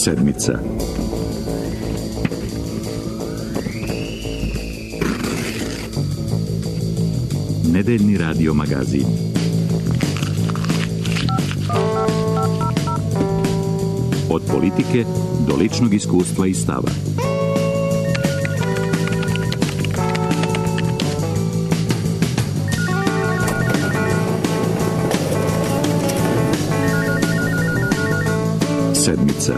Sedmica. Nedeljni radio magazin. Od politike do ličnog iskustva i stava. Sedmica.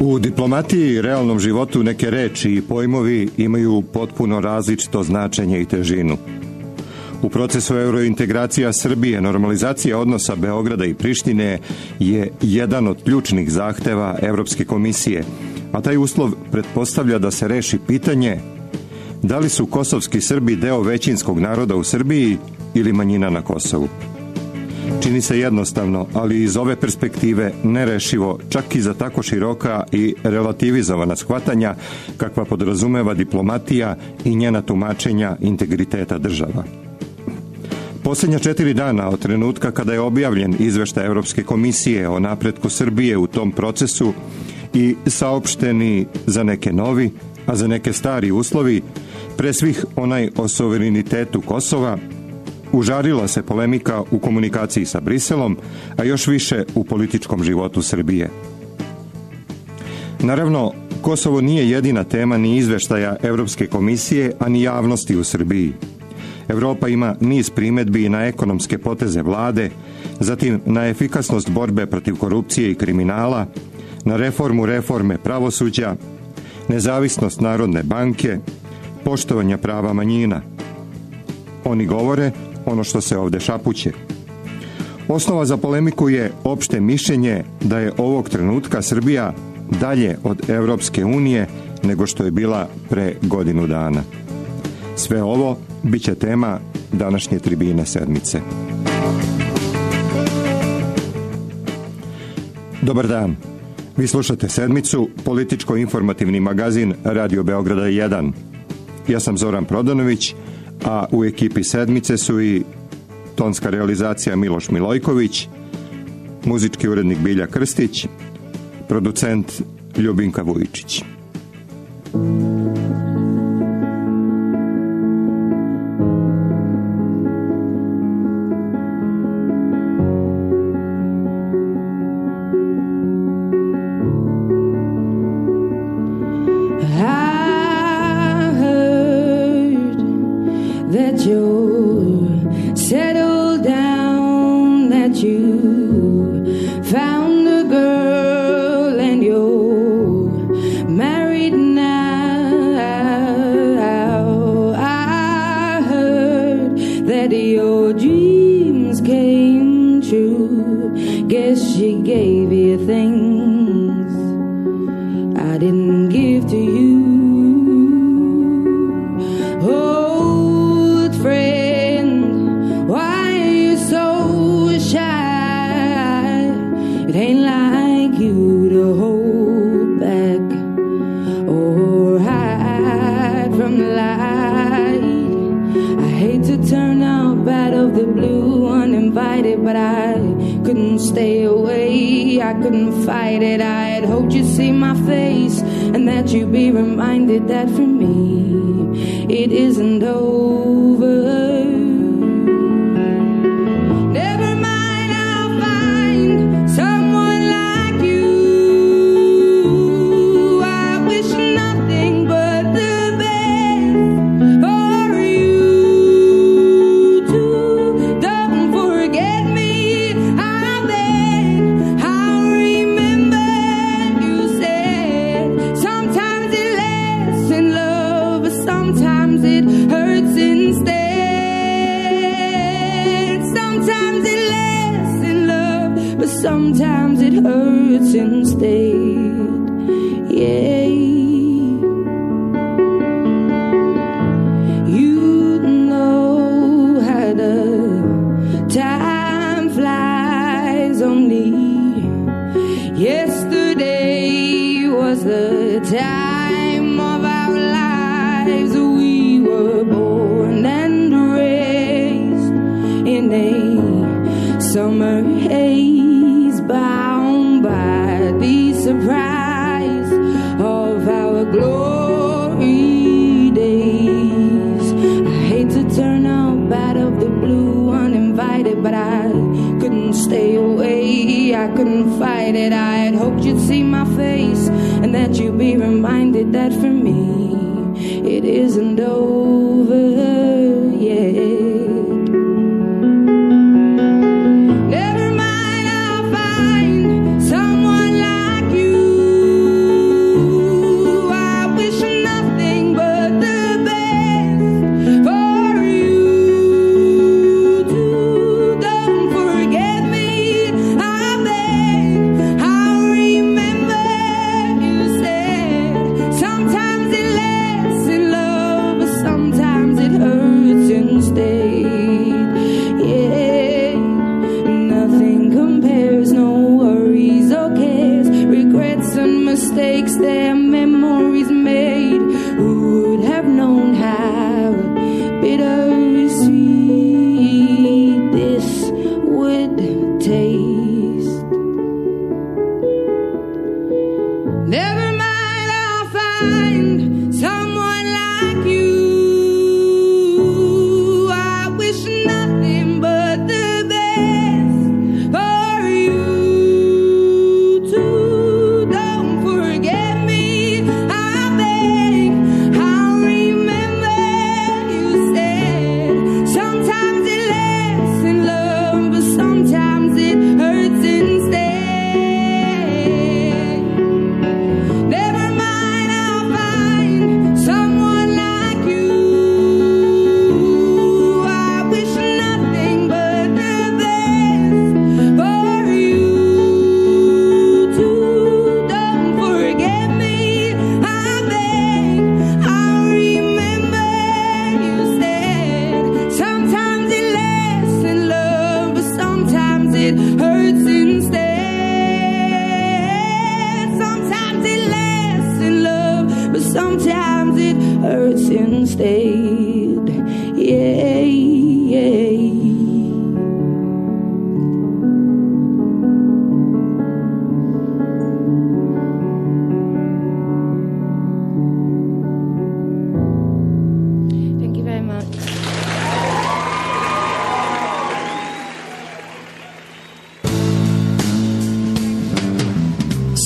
U diplomatiji i realnom životu neke reči i pojmovi imaju potpuno različito značenje i težinu. U procesu eurointegracija Srbije normalizacija odnosa Beograda i Prištine je jedan od ključnih zahteva Evropske komisije, a taj uslov pretpostavlja da se reši pitanje da li su kosovski Srbi deo većinskog naroda u Srbiji ili manjina na Kosovu. Čini se jednostavno, ali iz ove perspektive nerešivo, čak i za tako široka i relativizovana shvatanja kakva podrazumeva diplomatija i njena tumačenja integriteta država. Posljednja 4 dana od trenutka kada je objavljen izveštaj Evropske komisije o napretku Srbije u tom procesu i saopšteni za neke novi, a za neke stari uslovi, pre svih onaj o suverenitetu Kosova, užarila se polemika u komunikaciji sa Briselom, a još više u političkom životu Srbije. Naravno, Kosovo nije jedina tema ni izveštaja Evropske komisije, a ni javnosti u Srbiji. Evropa ima niz primedbi na ekonomske poteze vlade, zatim na efikasnost borbe protiv korupcije i kriminala, na reforme pravosuđa, nezavisnost Narodne banke, poštovanja prava manjina. Oni govore ono što se ovde šapuće. Osnova za polemiku je opšte mišljenje da je ovog trenutka Srbija dalje od Evropske unije nego što je bila pre godinu dana. Sve ovo biće tema današnje tribine sedmice. Dobar dan. Vi slušate Sedmicu, političko-informativni magazin Radio Beograda 1. Ja sam Zoran Prodanović, a u ekipi Sedmice su i tonska realizacija Miloš Milojković, muzički urednik Bilja Krstić, producent Ljubinka Vujičić. Sometimes it hurts instead. was the time of our lives. We were born and raised in a summer haze, bound by the surprise of our glory days. I hate to turn up out of the blue uninvited, but I couldn't stay away, I couldn't fight it. I had hoped you'd see my face and that you'd be reminded that for me it isn't over yet. Mistakes their memories made, who would have known how bittersweet this would taste. Never mind, I'll find someone like you. I wish nothing but the best for you too.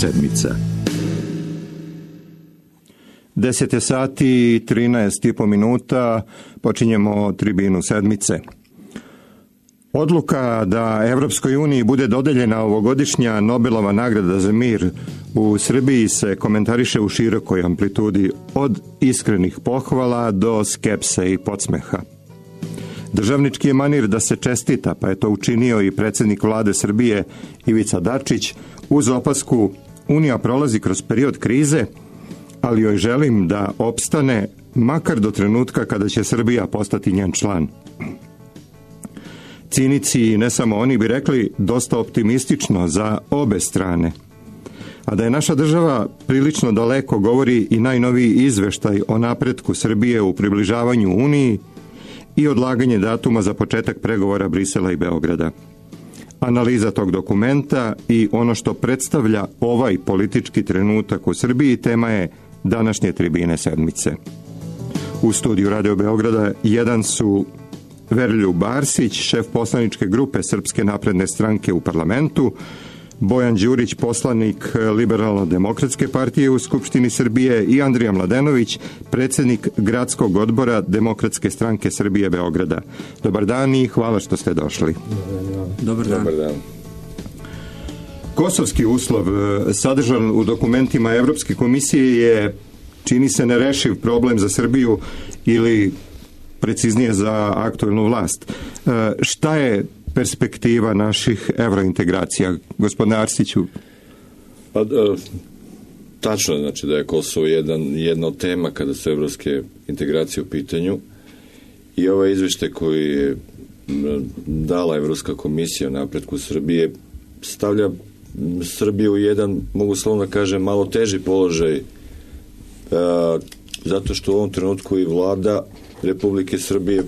Sedmica. 10 sati i 13,5 minuta počinjemo tribinu sedmice. Odluka da Evropskoj uniji bude dodeljena ovogodišnja Nobelova nagrada za mir u Srbiji se komentariše u širokoj amplitudi, od iskrenih pohvala do skepse i podsmeha. Državnički je manir da se čestita, pa je to učinio i predsjednik vlade Srbije Ivica Dačić uz opasku: Unija prolazi kroz period krize, ali joj želim da opstane makar do trenutka kada će Srbija postati njen član. Cinici, i ne samo oni, bi rekli dosta optimistično za obe strane. A da je naša država prilično daleko govori i najnoviji izveštaj o napretku Srbije u približavanju Uniji i odlaganje datuma za početak pregovora Brisela i Beograda. Analiza tog dokumenta i ono što predstavlja ovaj politički trenutak u Srbiji tema je današnje tribine sedmice. U studiju Radio Beograda jedan su Veroljub Arsić, šef poslaničke grupe Srpske napredne stranke u parlamentu, Bojan Đurić, poslanik Liberalno-demokratske partije u Skupštini Srbije, i Andrija Mladenović, predsjednik gradskog odbora Demokratske stranke Srbije Beograda. Dobar dan i hvala što ste došli. Dobar dan. Dobar dan. Kosovski uslov sadržan u dokumentima Evropske komisije je, čini se, nerešiv problem za Srbiju ili preciznije za aktuelnu vlast. Šta je perspektiva naših evrointegracija, gospodine Arsiću? Pa, tačno je, znači, da je Kosovo jedna od tema kada su evropske integracije u pitanju, i ovaj izveštaj koji je dala Evropska komisija o napretku Srbije stavlja Srbiju u jedan, mogu slovno kažem, malo teži položaj, zato što u ovom trenutku i vlada Republike Srbije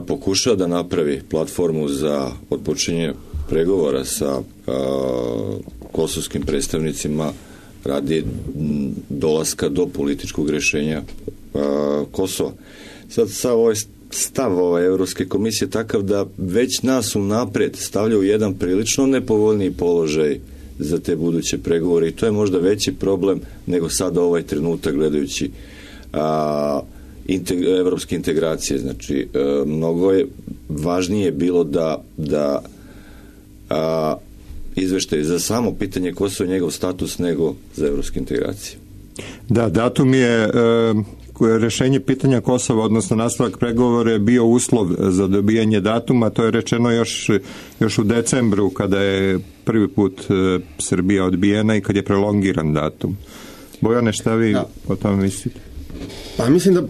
pokušava da napravi platformu za otpočinje pregovora sa kosovskim predstavnicima radi dolaska do političkog rješenja Kosova. Sad ovaj stav Evropske komisije takav da već nas unapred stavlja u jedan prilično nepovoljniji položaj za te buduće pregovore i to je možda veći problem nego sada ovaj trenutak gledajući evropske integracije. Znači, mnogo je važnije bilo da izveštaj za samo pitanje Kosova i njegov status nego za evropske integracije. Da, datum je rešenje pitanja Kosova, odnosno nastavak pregovora je bio uslov za dobijanje datuma, to je rečeno još u decembru kada je prvi put Srbija odbijena i kad je prolongiran datum. Bojane, šta vi o tome mislite? Pa mislim da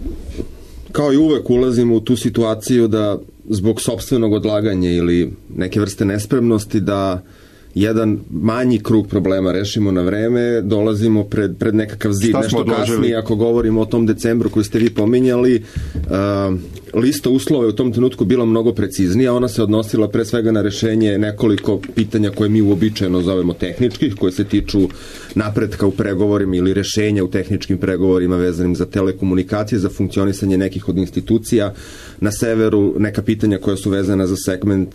kao i uvek ulazimo u tu situaciju da zbog sopstvenog odlaganja ili neke vrste nespremnosti da jedan manji krug problema rešimo na vreme, dolazimo pred nekakav zid. Nešto kasnije, ako govorimo o tom decembru koji ste vi pominjali, lista uslova je u tom trenutku bila mnogo preciznija, ona se odnosila pre svega na rešenje nekoliko pitanja koje mi uobičajeno zovemo tehničkih, koje se tiču napretka u pregovorima ili rešenja u tehničkim pregovorima vezanim za telekomunikacije, za funkcionisanje nekih od institucija na severu, neka pitanja koja su vezana za segment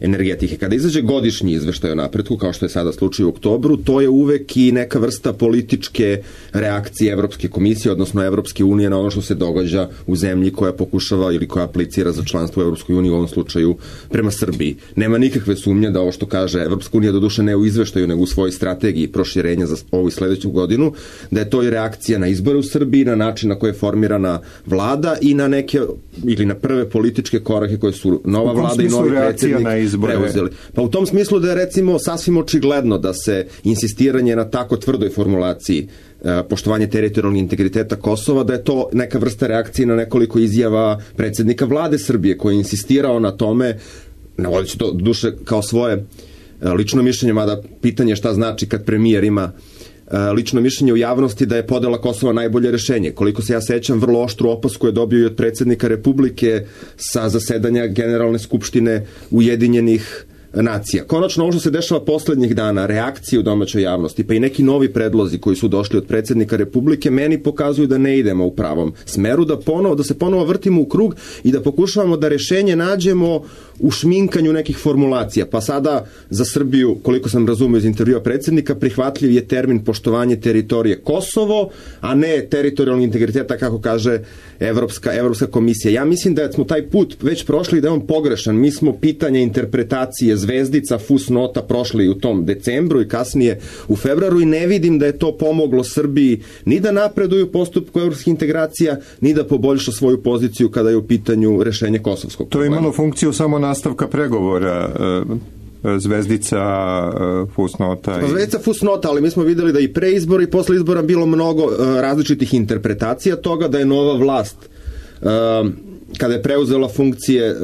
energetike. Kada izađe godišnji izveštaj o napretku, kao što je sada slučaj u oktobru, to je uvek i neka vrsta političke reakcije Evropske komisije, odnosno Evropske unije na ono što se događa u zemlji koja pokušava ili koja aplicira za članstvo u Evropskoj uniji, u ovom slučaju prema Srbiji. Nema nikakve sumnje da ovo što kaže Evropska unija, doduše ne u izveštaju, nego u svojoj strategiji proširenja za ovu i sledeću godinu, da je to i reakcija na izbore u Srbiji, na način na koji je formirana vlada i na neke, ili na prve političke korake koje su nova vlada i novi predsjednik preuzeli. Pa u tom smislu da je recimo sasvim očigledno da se insistiranje na tako tvrdoj formulaciji poštovanje teritorijalnog integriteta Kosova, da je to neka vrsta reakcije na nekoliko izjava predsjednika vlade Srbije koji je insistirao na tome, navodeći to duše kao svoje lično mišljenje, mada pitanje šta znači kad premijer ima lično mišljenje u javnosti da je podela Kosova najbolje rešenje. Koliko se ja sećam, vrlo oštru opasku je dobio i od predsjednika Republike sa zasedanja Generalne skupštine Ujedinjenih nacija. Konačno, ovo što se dešava poslednjih dana, reakcije u domaćoj javnosti, pa i neki novi predlozi koji su došli od predsjednika Republike, meni pokazuju da ne idemo u pravom smeru, da se ponovo vrtimo u krug i da pokušavamo da rešenje nađemo u šminkanju nekih formulacija. Pa sada za Srbiju, koliko sam razumio iz intervjua predsjednika, prihvatljiv je termin poštovanje teritorije Kosovo, a ne teritorijalni integriteta, kako kaže Evropska komisija. Ja mislim da smo taj put već prošli i da je on pogrešan. Mi smo pitanje interpretacije zvezdica, fusnota prošli u tom decembru i kasnije u februaru i ne vidim da je to pomoglo Srbiji ni da napreduje u postupku evropskih integracija, ni da poboljša svoju poziciju kada je u pitanju rešenje kosovskog problema. To je imalo funkciju samo nastavka pregovora, zvezdica, fusnota. Zvezdica, fusnota, ali mi smo videli da i pre izbora i posle izbora bilo mnogo različitih interpretacija toga, da je nova vlast kada je preuzela funkcije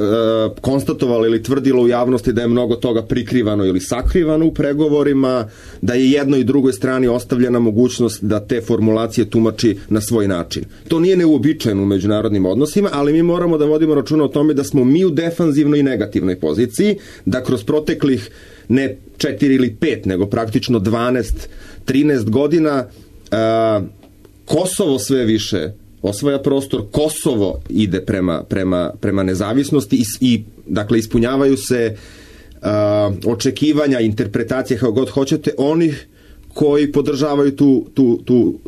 konstatovala ili tvrdila u javnosti da je mnogo toga prikrivano ili sakrivano u pregovorima, da je jednoj i drugoj strani ostavljena mogućnost da te formulacije tumači na svoj način. To nije neuobičajeno u međunarodnim odnosima, ali mi moramo da vodimo računa o tome da smo mi u defanzivnoj i negativnoj poziciji, da kroz proteklih ne 4 ili 5, nego praktično 12-13 godina Kosovo sve više osvaja prostor, Kosovo ide prema nezavisnosti i dakle ispunjavaju se očekivanja, interpretacije, kako god hoćete, onih koji podržavaju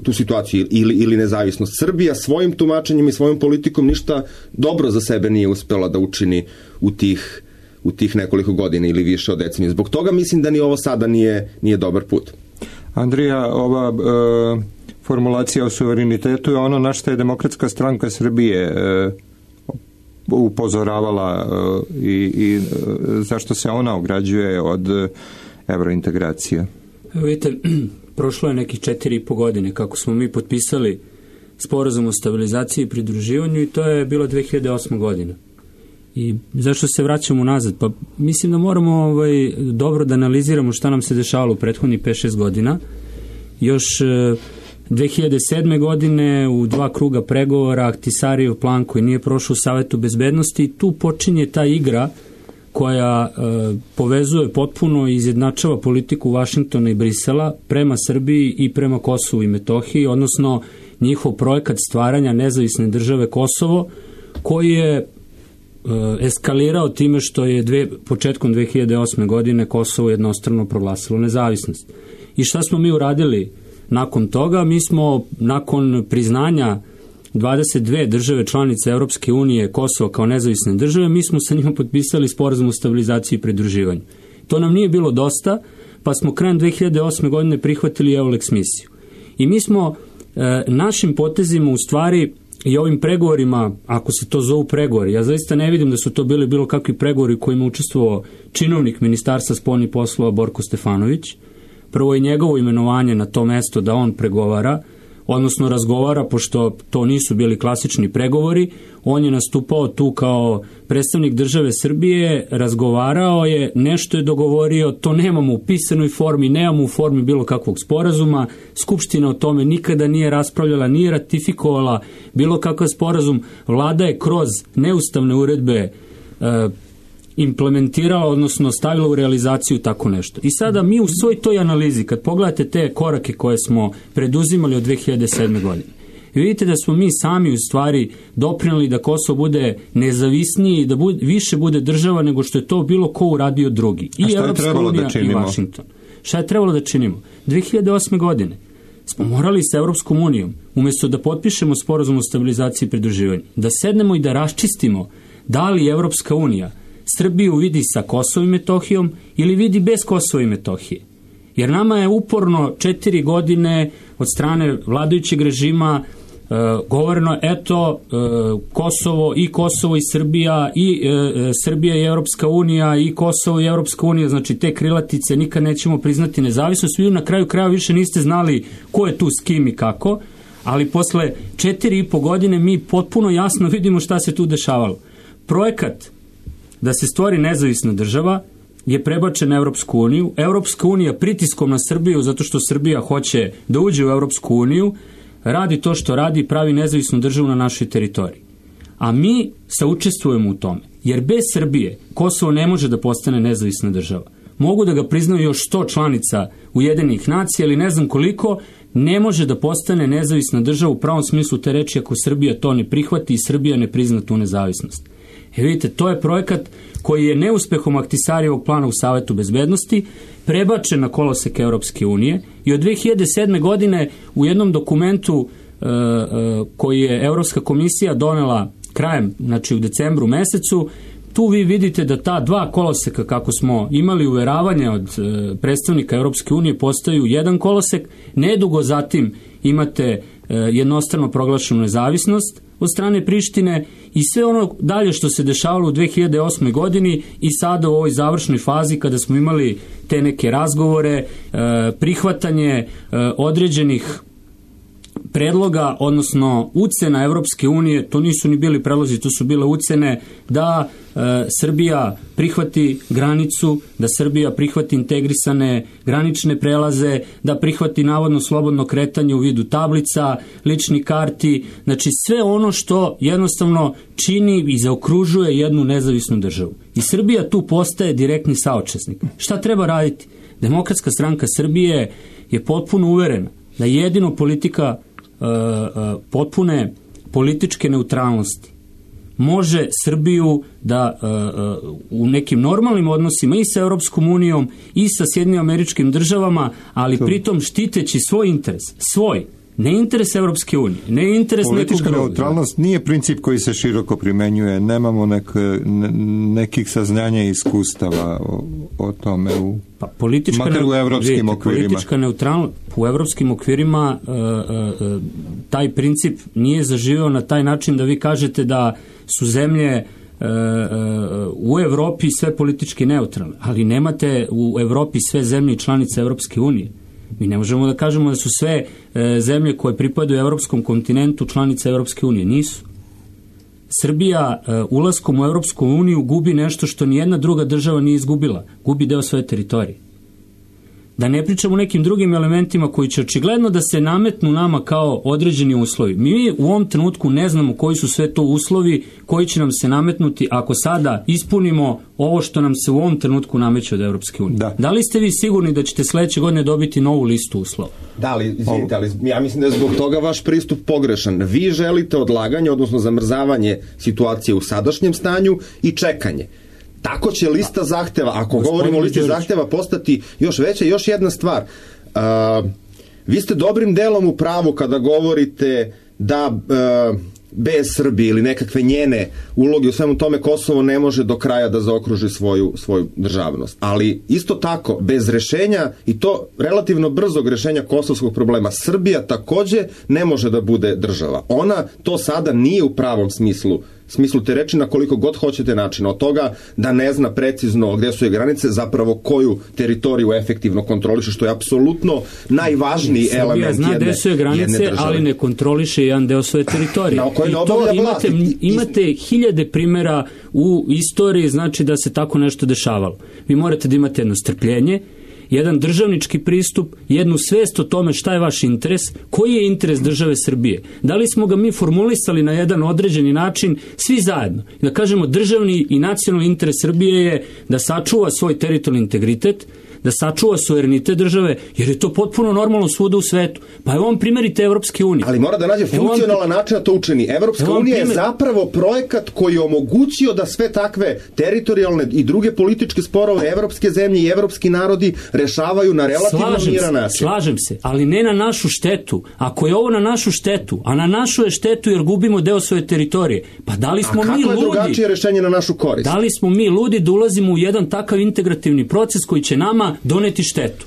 tu situaciju ili nezavisnost. Srbija svojim tumačenjem i svojom politikom ništa dobro za sebe nije uspela da učini u tih nekoliko godina ili više od decenije. Zbog toga mislim da ni ovo sada nije dobar put. Andrija, ova formulacija o suverenitetu je ono na što je Demokratska stranka Srbije upozoravala i zašto se ona ograđuje od evrointegracija. Vidite, prošlo je nekih 4,5 godine kako smo mi potpisali sporazum o stabilizaciji i pridruživanju i to je bilo 2008. godina. I zašto se vraćamo nazad? Pa mislim da moramo dobro da analiziramo šta nam se dešavalo u prethodnih 5-6 godina. Još 2007. godine u 2 kruga pregovora Ahtisarijev plan koji nije prošao u Savetu bezbednosti, tu počinje ta igra koja povezuje potpuno i izjednačava politiku Vašingtona i Brisela prema Srbiji i prema Kosovu i Metohiji, odnosno njihov projekat stvaranja nezavisne države Kosovo, koji je eskalirao time što je početkom 2008. godine Kosovo jednostrano proglasilo nezavisnost. I šta smo mi uradili nakon toga? Mi smo nakon priznanja 22 države članice Europske unije Kosovo kao nezavisne države, mi smo sa njima potpisali sporazum o stabilizaciji i pridruživanju. To nam nije bilo dosta, pa smo krajem 2008. godine prihvatili EULEX misiju. I mi smo našim potezima u stvari i ovim pregovorima, ako se to zovu pregovori, ja zaista ne vidim da su to bili bilo kakvi pregovori u kojima učestvovao činovnik Ministarstva spoljnih poslova Borko Stefanović. Prvo je njegovo imenovanje na to mesto da on pregovara, odnosno razgovara, pošto to nisu bili klasični pregovori. On je nastupao tu kao predstavnik države Srbije, razgovarao je, nešto je dogovorio, to nemamo u pisanoj formi, nemamo u formi bilo kakvog sporazuma, Skupština o tome nikada nije raspravljala, nije ratifikovala bilo kakav sporazum, vlada je kroz neustavne uredbe implementirala, odnosno stavila u realizaciju tako nešto. I sada mi u svoj toj analizi, kad pogledate te korake koje smo preduzimali od 2007. godine, vidite da smo mi sami u stvari doprineli da Kosovo bude nezavisniji i da više bude država nego što je to bilo ko uradio drugi. I Evropska unija i Vašington. Šta je trebalo da činimo? 2008. godine smo morali sa Evropskom unijom, umjesto da potpišemo sporazum o stabilizaciji i pridruživanju, da sednemo i da raščistimo da li Evropska unija Srbiju vidi sa Kosovom i Metohijom ili vidi bez Kosova i Metohije. Jer nama je uporno 4 godine od strane vladajućeg režima govoreno, eto, Kosovo i Srbija i Srbija i Evropska unija i Kosovo i Evropska unija, znači te krilatice, nikad nećemo priznati nezavisnost. Vi na kraju kraja više niste znali ko je tu s kim i kako, ali posle 4,5 godine mi potpuno jasno vidimo šta se tu dešavalo. Projekat da se stvori nezavisna država je prebačen na Evropsku uniju. Evropska unija pritiskom na Srbiju, zato što Srbija hoće da uđe u Evropsku uniju, radi to što radi i pravi nezavisnu državu na našoj teritoriji. A mi saučestvujemo u tome, jer bez Srbije Kosovo ne može da postane nezavisna država. Mogu da ga priznaju još 100 članica Ujedinjenih nacija, ali ne znam koliko, ne može da postane nezavisna država u pravom smislu te reči ako Srbija to ne prihvati i Srbija ne prizna tu nezavisnost. Vidite, to je projekat koji je neuspehom Ahtisarijevog plana u Savetu bezbednosti prebačen na kolosek Europske unije i od 2007. godine u jednom dokumentu koji je Evropska komisija donela krajem, znači u decembru mesecu, tu vi vidite da ta 2 koloseka, kako smo imali uveravanje od predstavnika Europske unije, postaju jedan kolosek. Nedugo zatim imate jednostrano proglašenu nezavisnost od strane Prištine i sve ono dalje što se dešavalo u 2008. godini i sada u ovoj završnoj fazi kada smo imali te neke razgovore, prihvatanje određenih predloga, odnosno ucena Evropske unije, to nisu ni bili predlozi, to su bile ucene da Srbija prihvati granicu, da Srbija prihvati integrisane granične prelaze, da prihvati navodno slobodno kretanje u vidu tablica, ličnih karti, znači sve ono što jednostavno čini i zaokružuje jednu nezavisnu državu. I Srbija tu postaje direktni saučesnik. Šta treba raditi? Demokratska stranka Srbije je potpuno uverena da jedino politika potpune političke neutralnosti može Srbiju da u nekim normalnim odnosima i sa Europskom unijom i sa Sjedinjenim Američkim Državama, ali pritom štiteći svoj interes, ne interes Europske unije, ne interes nekog drugog. Politička neutralnost nije princip koji se široko primenjuje, nemamo nekih saznanja i iskustava o tome makar u evropskim okvirima. Politička neutralnost u evropskim okvirima taj princip nije zaživio na taj način da vi kažete da su zemlje u Evropi sve politički neutralne, ali nemate u Evropi sve zemlje i članice Evropske unije. Mi ne možemo da kažemo da su sve zemlje koje pripadaju evropskom kontinentu članice Evropske unije. Nisu. Srbija ulaskom u Europsku uniju gubi nešto što nijedna druga država nije izgubila. Gubi deo svoje teritorije. Da ne pričamo o nekim drugim elementima koji će očigledno da se nametnu nama kao određeni uslovi. Mi u ovom trenutku ne znamo koji su sve to uslovi koji će nam se nametnuti ako sada ispunimo ovo što nam se u ovom trenutku nameće od Europske unije. Da li ste vi sigurni da ćete sledeće godine dobiti novu listu uslova? Da li, izvinite, ali ja mislim da je zbog toga vaš pristup pogrešan. Vi želite odlaganje, odnosno zamrzavanje situacije u sadašnjem stanju i čekanje. Tako će lista zahteva, ako govorimo o listi zahteva, postati još veća. Još jedna stvar, vi ste dobrim delom u pravu kada govorite da bez Srbije ili nekakve njene uloge u svemu tome Kosovo ne može do kraja da zaokruži svoju državnost. Ali isto tako, bez rešenja i to relativno brzog rešenja kosovskog problema, Srbija takođe ne može da bude država. Ona to sada nije u pravom smislu te reči na koliko god hoćete načina. Od toga da ne zna precizno gde su je granice, zapravo koju teritoriju efektivno kontroliše, što je apsolutno najvažniji element jedne države. Srbija zna gde su je granice, ali ne kontroliše jedan deo svoje teritorije. I to imate hiljade primjera u istoriji, znači da se tako nešto dešavalo. Vi morate da imate jedno strpljenje, jedan državnički pristup, jednu svest o tome šta je vaš interes, koji je interes države Srbije. Da li smo ga mi formulisali na jedan određeni način, svi zajedno. Da kažemo, državni i nacionalni interes Srbije je da sačuva svoj teritorijalni integritet, da sačuva suverenitet države, jer je to potpuno normalno svuda u svetu. Pa evo vam primerite Evropske unije. Ali mora da nađe funkcionalan način da to učini. Evropska unija je zapravo projekat koji je omogućio da sve takve teritorijalne i druge političke sporove evropske zemlje i evropski narodi rešavaju na relativno miran način. Slažem se, ali ne na našu štetu. Ako je ovo na našu štetu, a na našu je štetu jer gubimo deo svoje teritorije, pa da li smo mi ludi? A kako je drugačije rešenje na našu korist? Da li smo mi ludi da ulazimo u jedan takav integrativni proces koji će nama doneti štetu?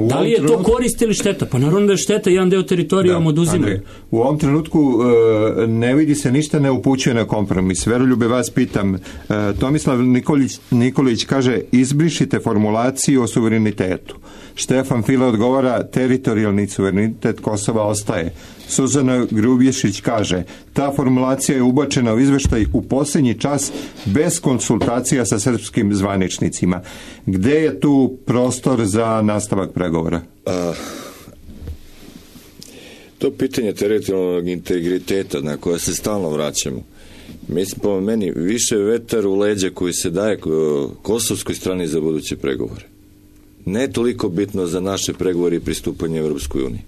Da li je to korist ili šteta? Pa naravno da je šteta, jedan deo teritorija vam oduzimaju. U ovom trenutku ne vidi se ništa, ne upućuje na kompromis. Veroljube, vas pitam, Tomislav Nikolić kaže, izbrišite formulaciju o suverenitetu. Štefan File odgovara, teritorijalni suverenitet Kosova ostaje. Suzana Grubješić kaže, ta formulacija je ubačena u izveštaj u posljednji čas bez konsultacija sa srpskim zvaničnicima. Gde je tu prostor za nastavak pregovora? To pitanje teritorijalnog integriteta na koje se stalno vraćamo, mislim, po meni, više vetar u leđa koji se daje kosovskoj strani za buduće pregovore. Ne toliko bitno za naše pregovore i pristupanje Evropskoj uniji.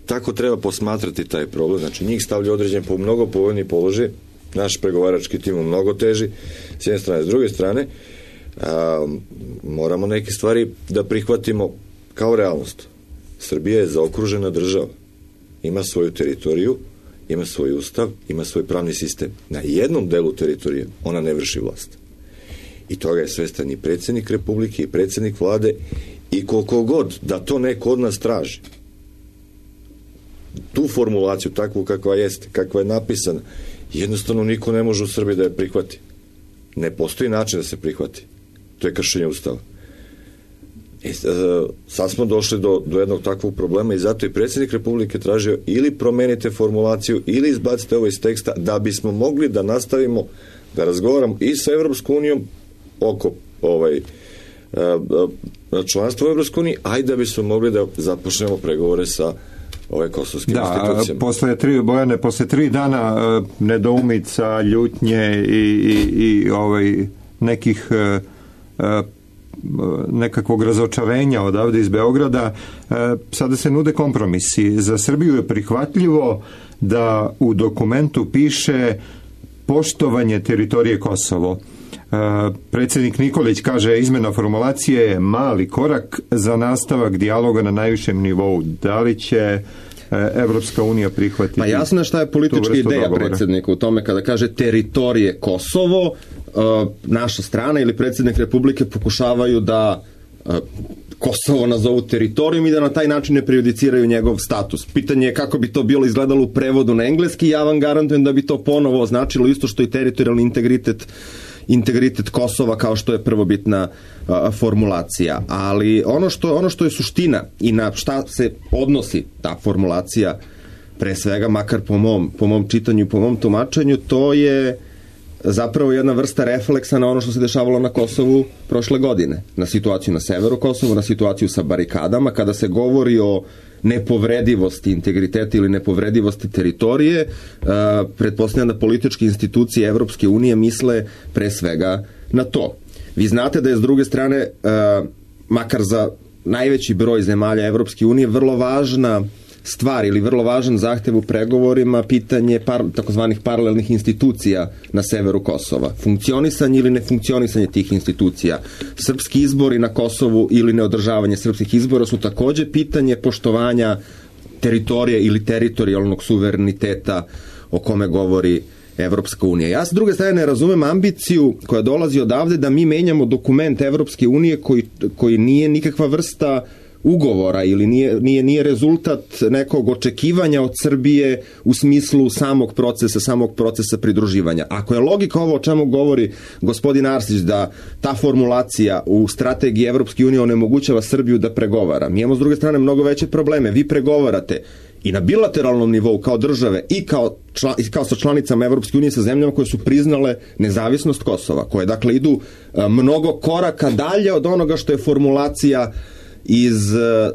Tako treba posmatrati taj problem. Znači, njih stavlja određen po mnogo povoljni položaj, naš pregovarački tim mnogo teži, s jedne strane, s druge strane, moramo neke stvari da prihvatimo kao realnost. Srbija je zaokružena država. Ima svoju teritoriju, ima svoj ustav, ima svoj pravni sistem. Na jednom delu teritorije ona ne vrši vlast. I toga je svestan i predsjednik Republike i predsjednik vlade i koliko god da to neko od nas traži. Tu formulaciju, takvu kakva jeste, kakva je napisana, jednostavno niko ne može u Srbiji da je prihvati. Ne postoji način da se prihvati. To je kršenje ustava. Sad smo došli do jednog takvog problema i zato i predsjednik Republike tražio ili promenite formulaciju ili izbacite ovo iz teksta da bismo mogli da nastavimo da razgovaramo i sa Evropskom unijom oko članstva u Evropskoj uniji, a i da bismo mogli da započnemo pregovore sa ove kosovskim institucijama. Posle 3 dana nedoumica, ljutnje i nekih nekakvog razočarenja odavde iz Beograda, sada se nude kompromisi. Za Srbiju je prihvatljivo da u dokumentu piše poštovanje teritorije Kosovo. Predsjednik Nikolić kaže, izmena formulacije je mali korak za nastavak dijaloga na najvišem nivou. Da li će Evropska unija prihvatiti? Pa jasno je šta je politička ideja predsjednika u tome kada kaže teritorije Kosovo, naša strana ili predsjednik Republike pokušavaju da Kosovo nazovu teritorijom i da na taj način ne prejudiciraju njegov status. Pitanje je kako bi to bilo izgledalo u prevodu na engleski. Ja vam garantujem da bi to ponovo označilo isto što i teritorijalni integritet Kosova kao što je prvobitna formulacija. Ali ono što je suština i na šta se odnosi ta formulacija pre svega, makar po mom čitanju i po mom tumačenju, to je zapravo jedna vrsta refleksa na ono što se dešavalo na Kosovu prošle godine. Na situaciju na severu Kosovu, na situaciju sa barikadama, kada se govori o nepovredivosti integriteta ili nepovredivosti teritorije, pretpostavljam da političke institucije Evropske unije misle pre svega na to. Vi znate da je s druge strane, makar za najveći broj zemalja Evropske unije, vrlo važna stvar ili vrlo važan zahtev u pregovorima pitanje takozvanih paralelnih institucija na severu Kosova. Funkcionisanje ili nefunkcionisanje tih institucija. Srpski izbori na Kosovu ili neodržavanje srpskih izbora su takođe pitanje poštovanja teritorije ili teritorijalnog suvereniteta o kome govori Evropska unija. Ja s druge strane ne razumem ambiciju koja dolazi odavde da mi menjamo dokument Evropske unije koji nije nikakva vrsta ugovora ili nije rezultat nekog očekivanja od Srbije u smislu samog procesa pridruživanja. Ako je logika ovo o čemu govori gospodin Arsić, da ta formulacija u strategiji Evropske unije onemogućava Srbiju da pregovara, mi imamo s druge strane mnogo veće probleme. Vi pregovarate i na bilateralnom nivou kao države i kao sa članicama Evropske unije, sa zemljama koje su priznale nezavisnost Kosova, koje dakle idu mnogo koraka dalje od onoga što je formulacija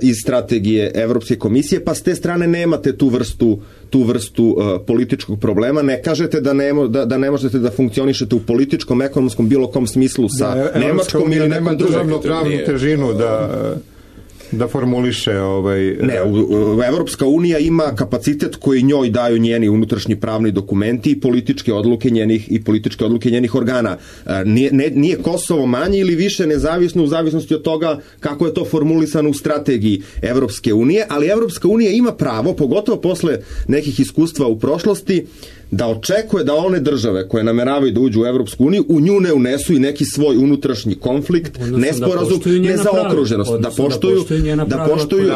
iz strategije Evropske komisije, pa s te strane nemate tu vrstu političkog problema. Ne kažete da ne možete da funkcionišete u političkom, ekonomskom, bilo kom smislu sa Nemačkom ili nekom drugom. Državno pravnu težinu da formuliše Ne, Evropska unija ima kapacitet koji njoj daju njeni unutrašnji pravni dokumenti i političke odluke njenih organa. Nije Kosovo manje ili više nezavisno u zavisnosti od toga kako je to formulisano u strategiji Evropske unije, ali Evropska unija ima pravo, pogotovo posle nekih iskustva u prošlosti, da očekuje da one države koje nameravaju da uđu u Evropsku uniju u nju ne unesu i neki svoj unutrašnji konflikt, nesporazum, nezaokruženost, da poštuju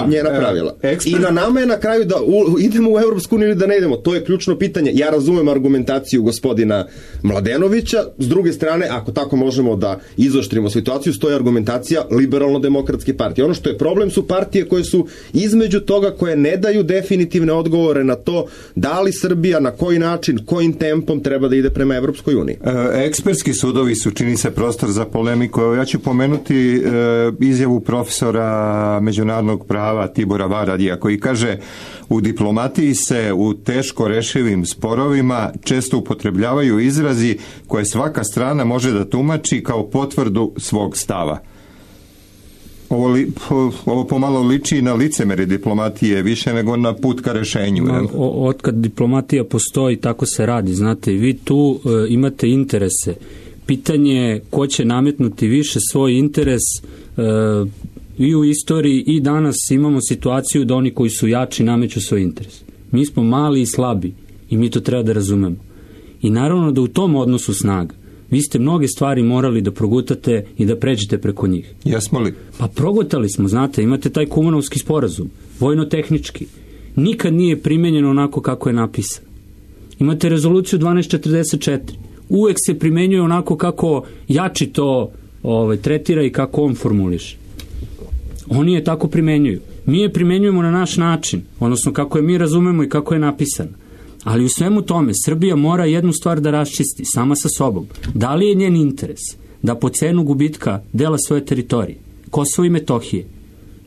njena pravila. I na nama je na kraju da idemo u Evropsku uniju ili da ne idemo. To je ključno pitanje. Ja razumem argumentaciju gospodina Mladenovića, s druge strane, ako tako možemo da izoštrimo situaciju, stoji argumentacija Liberalno-demokratske partije. Ono što je problem su partije koje su između toga, koje ne daju definitivne odgovore na to da li Srbija, na koji način, kojim tempom treba da ide prema Evropskoj uniji. Ekspertski sudovi su, čini se, prostor za polemiku. Ja ću pomenuti izjavu profesora međunarodnog prava Tibora Varadija, koji kaže: u diplomatiji se u teško rešivim sporovima često upotrebljavaju izrazi koje svaka strana može da tumači kao potvrdu svog stava. Ovo pomalo liči na licemere diplomatije više nego na put ka rešenju. Otkad diplomatija postoji, tako se radi. Znate, vi tu imate interese. Pitanje je ko će nametnuti više svoj interes. I u istoriji i danas imamo situaciju da oni koji su jači nameću svoj interes. Mi smo mali i slabi i mi to treba da razumemo. I naravno da u tom odnosu snaga vi ste mnoge stvari morali da progutate i da pređete preko njih. Jesmo li? Pa progutali smo, znate, imate taj Kumanovski sporazum, vojno-tehnički. Nikad nije primenjeno onako kako je napisano. Imate rezoluciju 1244. Uvek se primenjuje onako kako jači to tretira i kako on formuliše. Oni je tako primenjuju. Mi je primenjujemo na naš način, odnosno kako je mi razumemo i kako je napisano. Ali u svemu tome Srbija mora jednu stvar da raščisti sama sa sobom. Da li je njen interes da po cenu gubitka dela svoje teritorije, Kosovo i Metohije,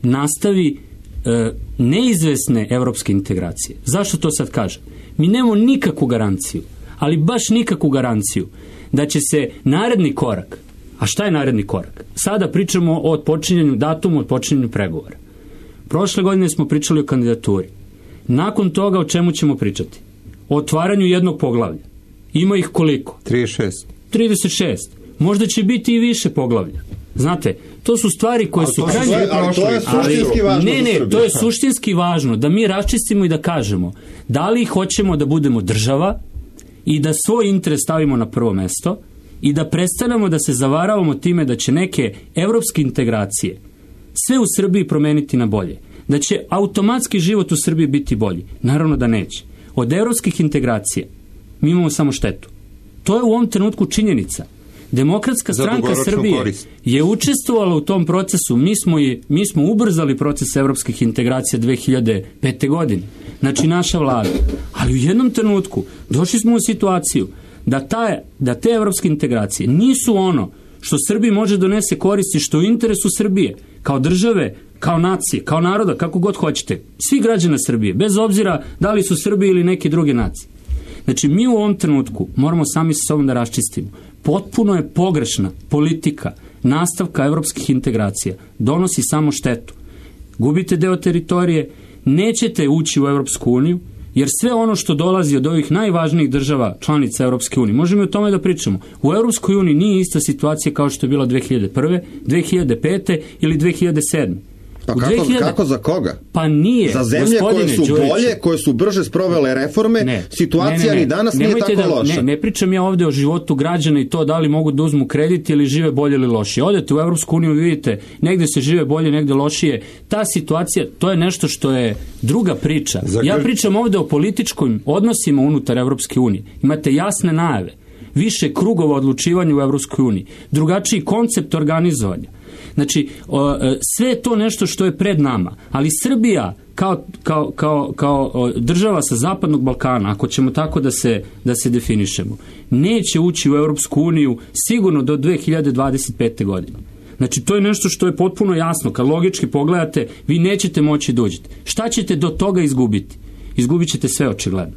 nastavi neizvesne evropske integracije? Zašto to sad kažem? Mi nemamo nikakvu garanciju, ali baš nikakvu garanciju da će se naredni korak, a šta je naredni korak? Sada pričamo o odpočinjanju datumu, odpočinjanju pregovora. Prošle godine smo pričali o kandidaturi. Nakon toga o čemu ćemo pričati? O otvaranju jednog poglavlja. Ima ih koliko? 36. Možda će biti i više poglavlja. Znate, to su stvari koje su krajnje... Ali to je suštinski važno. Ne, to je suštinski važno da mi raščistimo i da kažemo da li hoćemo da budemo država i da svoj interes stavimo na prvo mesto i da prestanemo da se zavaravamo time da će neke evropske integracije sve u Srbiji promeniti na bolje. Da će automatski život u Srbiji biti bolji. Naravno da neće. Od evropskih integracija mi imamo samo štetu. To je u ovom trenutku činjenica. Demokratska stranka Srbije je učestvovala u tom procesu. Mi smo ubrzali proces evropskih integracija 2005. godine. Znači naša vlada. Ali u jednom trenutku došli smo u situaciju da te evropske integracije nisu ono što Srbiji može donese koristi, što u interesu Srbije, kao države, kao nacije, kao naroda, kako god hoćete, svi građana Srbije, bez obzira da li su Srbi ili neke druge nacije. Znači, mi u ovom trenutku moramo sami sa sobom da raščistimo. Potpuno je pogrešna politika nastavka evropskih integracija. Donosi samo štetu. Gubite deo teritorije, nećete ući u Evropsku uniju, jer sve ono što dolazi od ovih najvažnijih država članica Evropske unije, možemo o tome da pričamo. U Evropskoj uniji nije ista situacija kao što je bila 2001., 2005. ili 2007. Pa kako za koga? Pa nije. Za zemlje koje su bolje, koje su brže sprovele reforme, situacija ni danas nije tako loša. Ne pričam ja ovde o životu građana i to da li mogu da uzmu kredit ili žive bolje ili lošije. Odete u Evropsku uniju, vidite, negde se žive bolje, negde lošije. Ta situacija, to je nešto što je druga priča. Ja pričam ovde o političkim odnosima unutar Evropske unije. Imate jasne najave, više krugova odlučivanja u Evropskoj uniji, drugačiji koncept organizovanja. Znači, sve je to nešto što je pred nama, ali Srbija kao država sa Zapadnog Balkana, ako ćemo tako da se definišemo, neće ući u Evropsku uniju sigurno do 2025. godine. Znači, to je nešto što je potpuno jasno. Kad logički pogledate, vi nećete moći da uđete. Šta ćete do toga izgubiti? Izgubit ćete sve očigledno.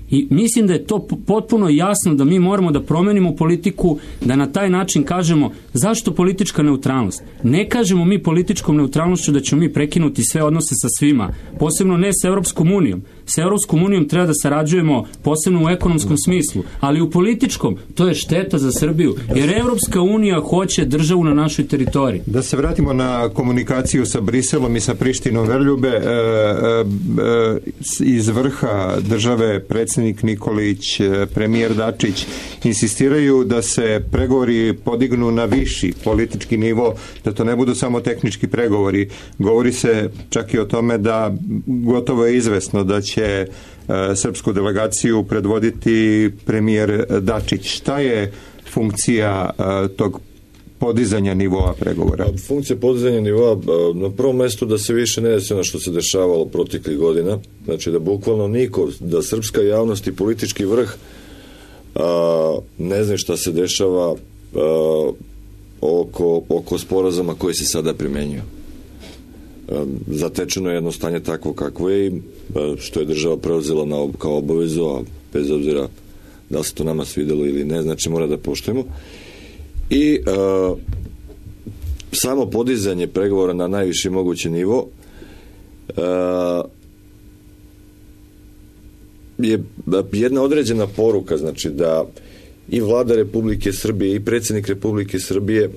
I mislim da je to potpuno jasno da mi moramo da promenimo politiku, da na taj način kažemo zašto politička neutralnost. Ne kažemo mi političkom neutralnošću da ćemo mi prekinuti sve odnose sa svima, posebno ne sa Evropskom unijom. Sa Evropskom unijom treba da sarađujemo posebno u ekonomskom smislu, ali u političkom to je šteta za Srbiju, jer Evropska unija hoće državu na našoj teritoriji. Da se vratimo na komunikaciju sa Briselom i sa Prištinom. Verljube, iz vrha države predsjednik Nikolić, premijer Dačić insistiraju da se pregovori podignu na viši politički nivo, da to ne budu samo tehnički pregovori. Govori se čak i o tome da gotovo je izvesno da će srpsku delegaciju predvoditi premijer Dačić. Šta je funkcija tog podizanja nivoa pregovora? Funkcija podizanja nivoa na prvom mestu da se više ne desi ono što se dešavalo proteklih godina, znači da bukvalno niko, da srpska javnost i politički vrh ne zna šta se dešava oko sporazuma koji se sada primenjuju. Zatečeno je jedno stanje takvo kakvo je i što je država preuzela kao obavezu, a bez obzira da se to nama svidelo ili ne, znači mora da poštujemo. I samo podizanje pregovora na najviši mogući nivo je jedna određena poruka, znači da i vlada Republike Srbije i predsjednik Republike Srbije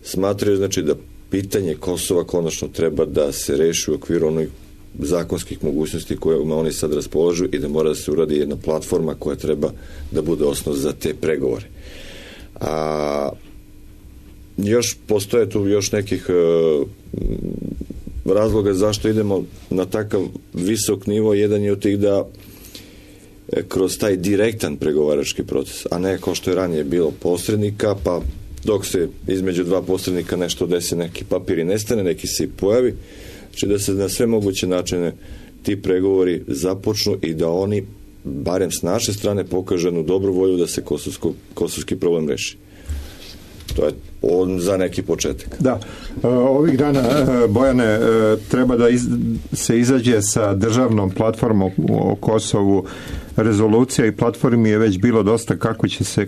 smatraju, znači da pitanje Kosova konačno treba da se reši u okviru onih zakonskih mogućnosti kojima oni sad raspolažu i da mora da se uradi jedna platforma koja treba da bude osnov za te pregovore. Još postoje tu još nekih razloga zašto idemo na takav visok nivo. Jedan je od tih da kroz taj direktan pregovarački proces, a ne kao što je ranije bilo posrednika, pa dok se između dva posrednika nešto desi, neki papir i nestane, neki se i pojavi, znači da se na sve moguće načine ti pregovori započnu i da oni barem s naše strane pokažu jednu dobru volju da se kosovski problem reši. To je za neki početak. Da. Ovih dana, Bojane, treba da se izađe sa državnom platformom o Kosovu. Rezolucija i platformi je već bilo dosta.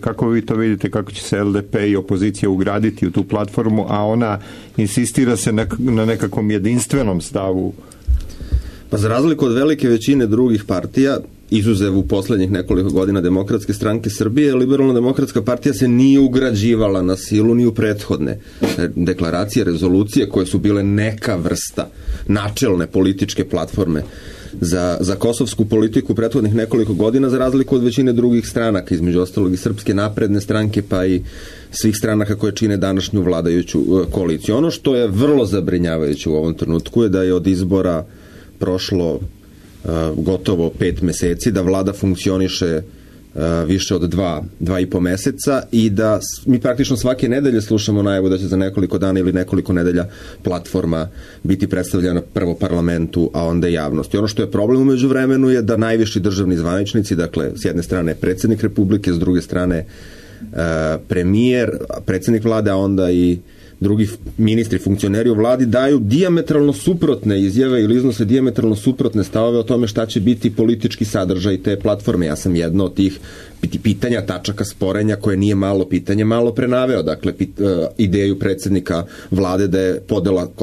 Kako vi to vidite, kako će se LDP i opozicija ugraditi u tu platformu, a ona insistira se na nekakvom jedinstvenom stavu? Pa za razliku od velike većine drugih partija, izuzev u poslednjih nekoliko godina Demokratske stranke Srbije, Liberalno-demokratska partija se nije ugrađivala na silu ni u prethodne deklaracije, rezolucije koje su bile neka vrsta načelne političke platforme za kosovsku politiku prethodnih nekoliko godina, za razliku od većine drugih stranaka, između ostalog i Srpske napredne stranke, pa i svih stranaka koje čine današnju vladajuću koaliciju. Ono što je vrlo zabrinjavajuće u ovom trenutku je da je od izbora prošlo gotovo 5 meseci, da vlada funkcioniše više od 2,5 meseca i da mi praktično svake nedelje slušamo najavu da će za nekoliko dana ili nekoliko nedelja platforma biti predstavljena prvo parlamentu, a onda javnosti. Ono što je problem u međuvremenu je da najviši državni zvaničnici, dakle s jedne strane predsjednik Republike, s druge strane premijer, predsjednik vlade, a onda i drugi ministri, funkcioneri u vladi daju dijametralno suprotne izjave ili iznose dijametralno suprotne stavove o tome šta će biti politički sadržaj te platforme. Ja sam jedno od tih pitanja, tačaka sporenja koje nije malo pitanje, malo prenaveo. Dakle, ideju predsjednika vlade da je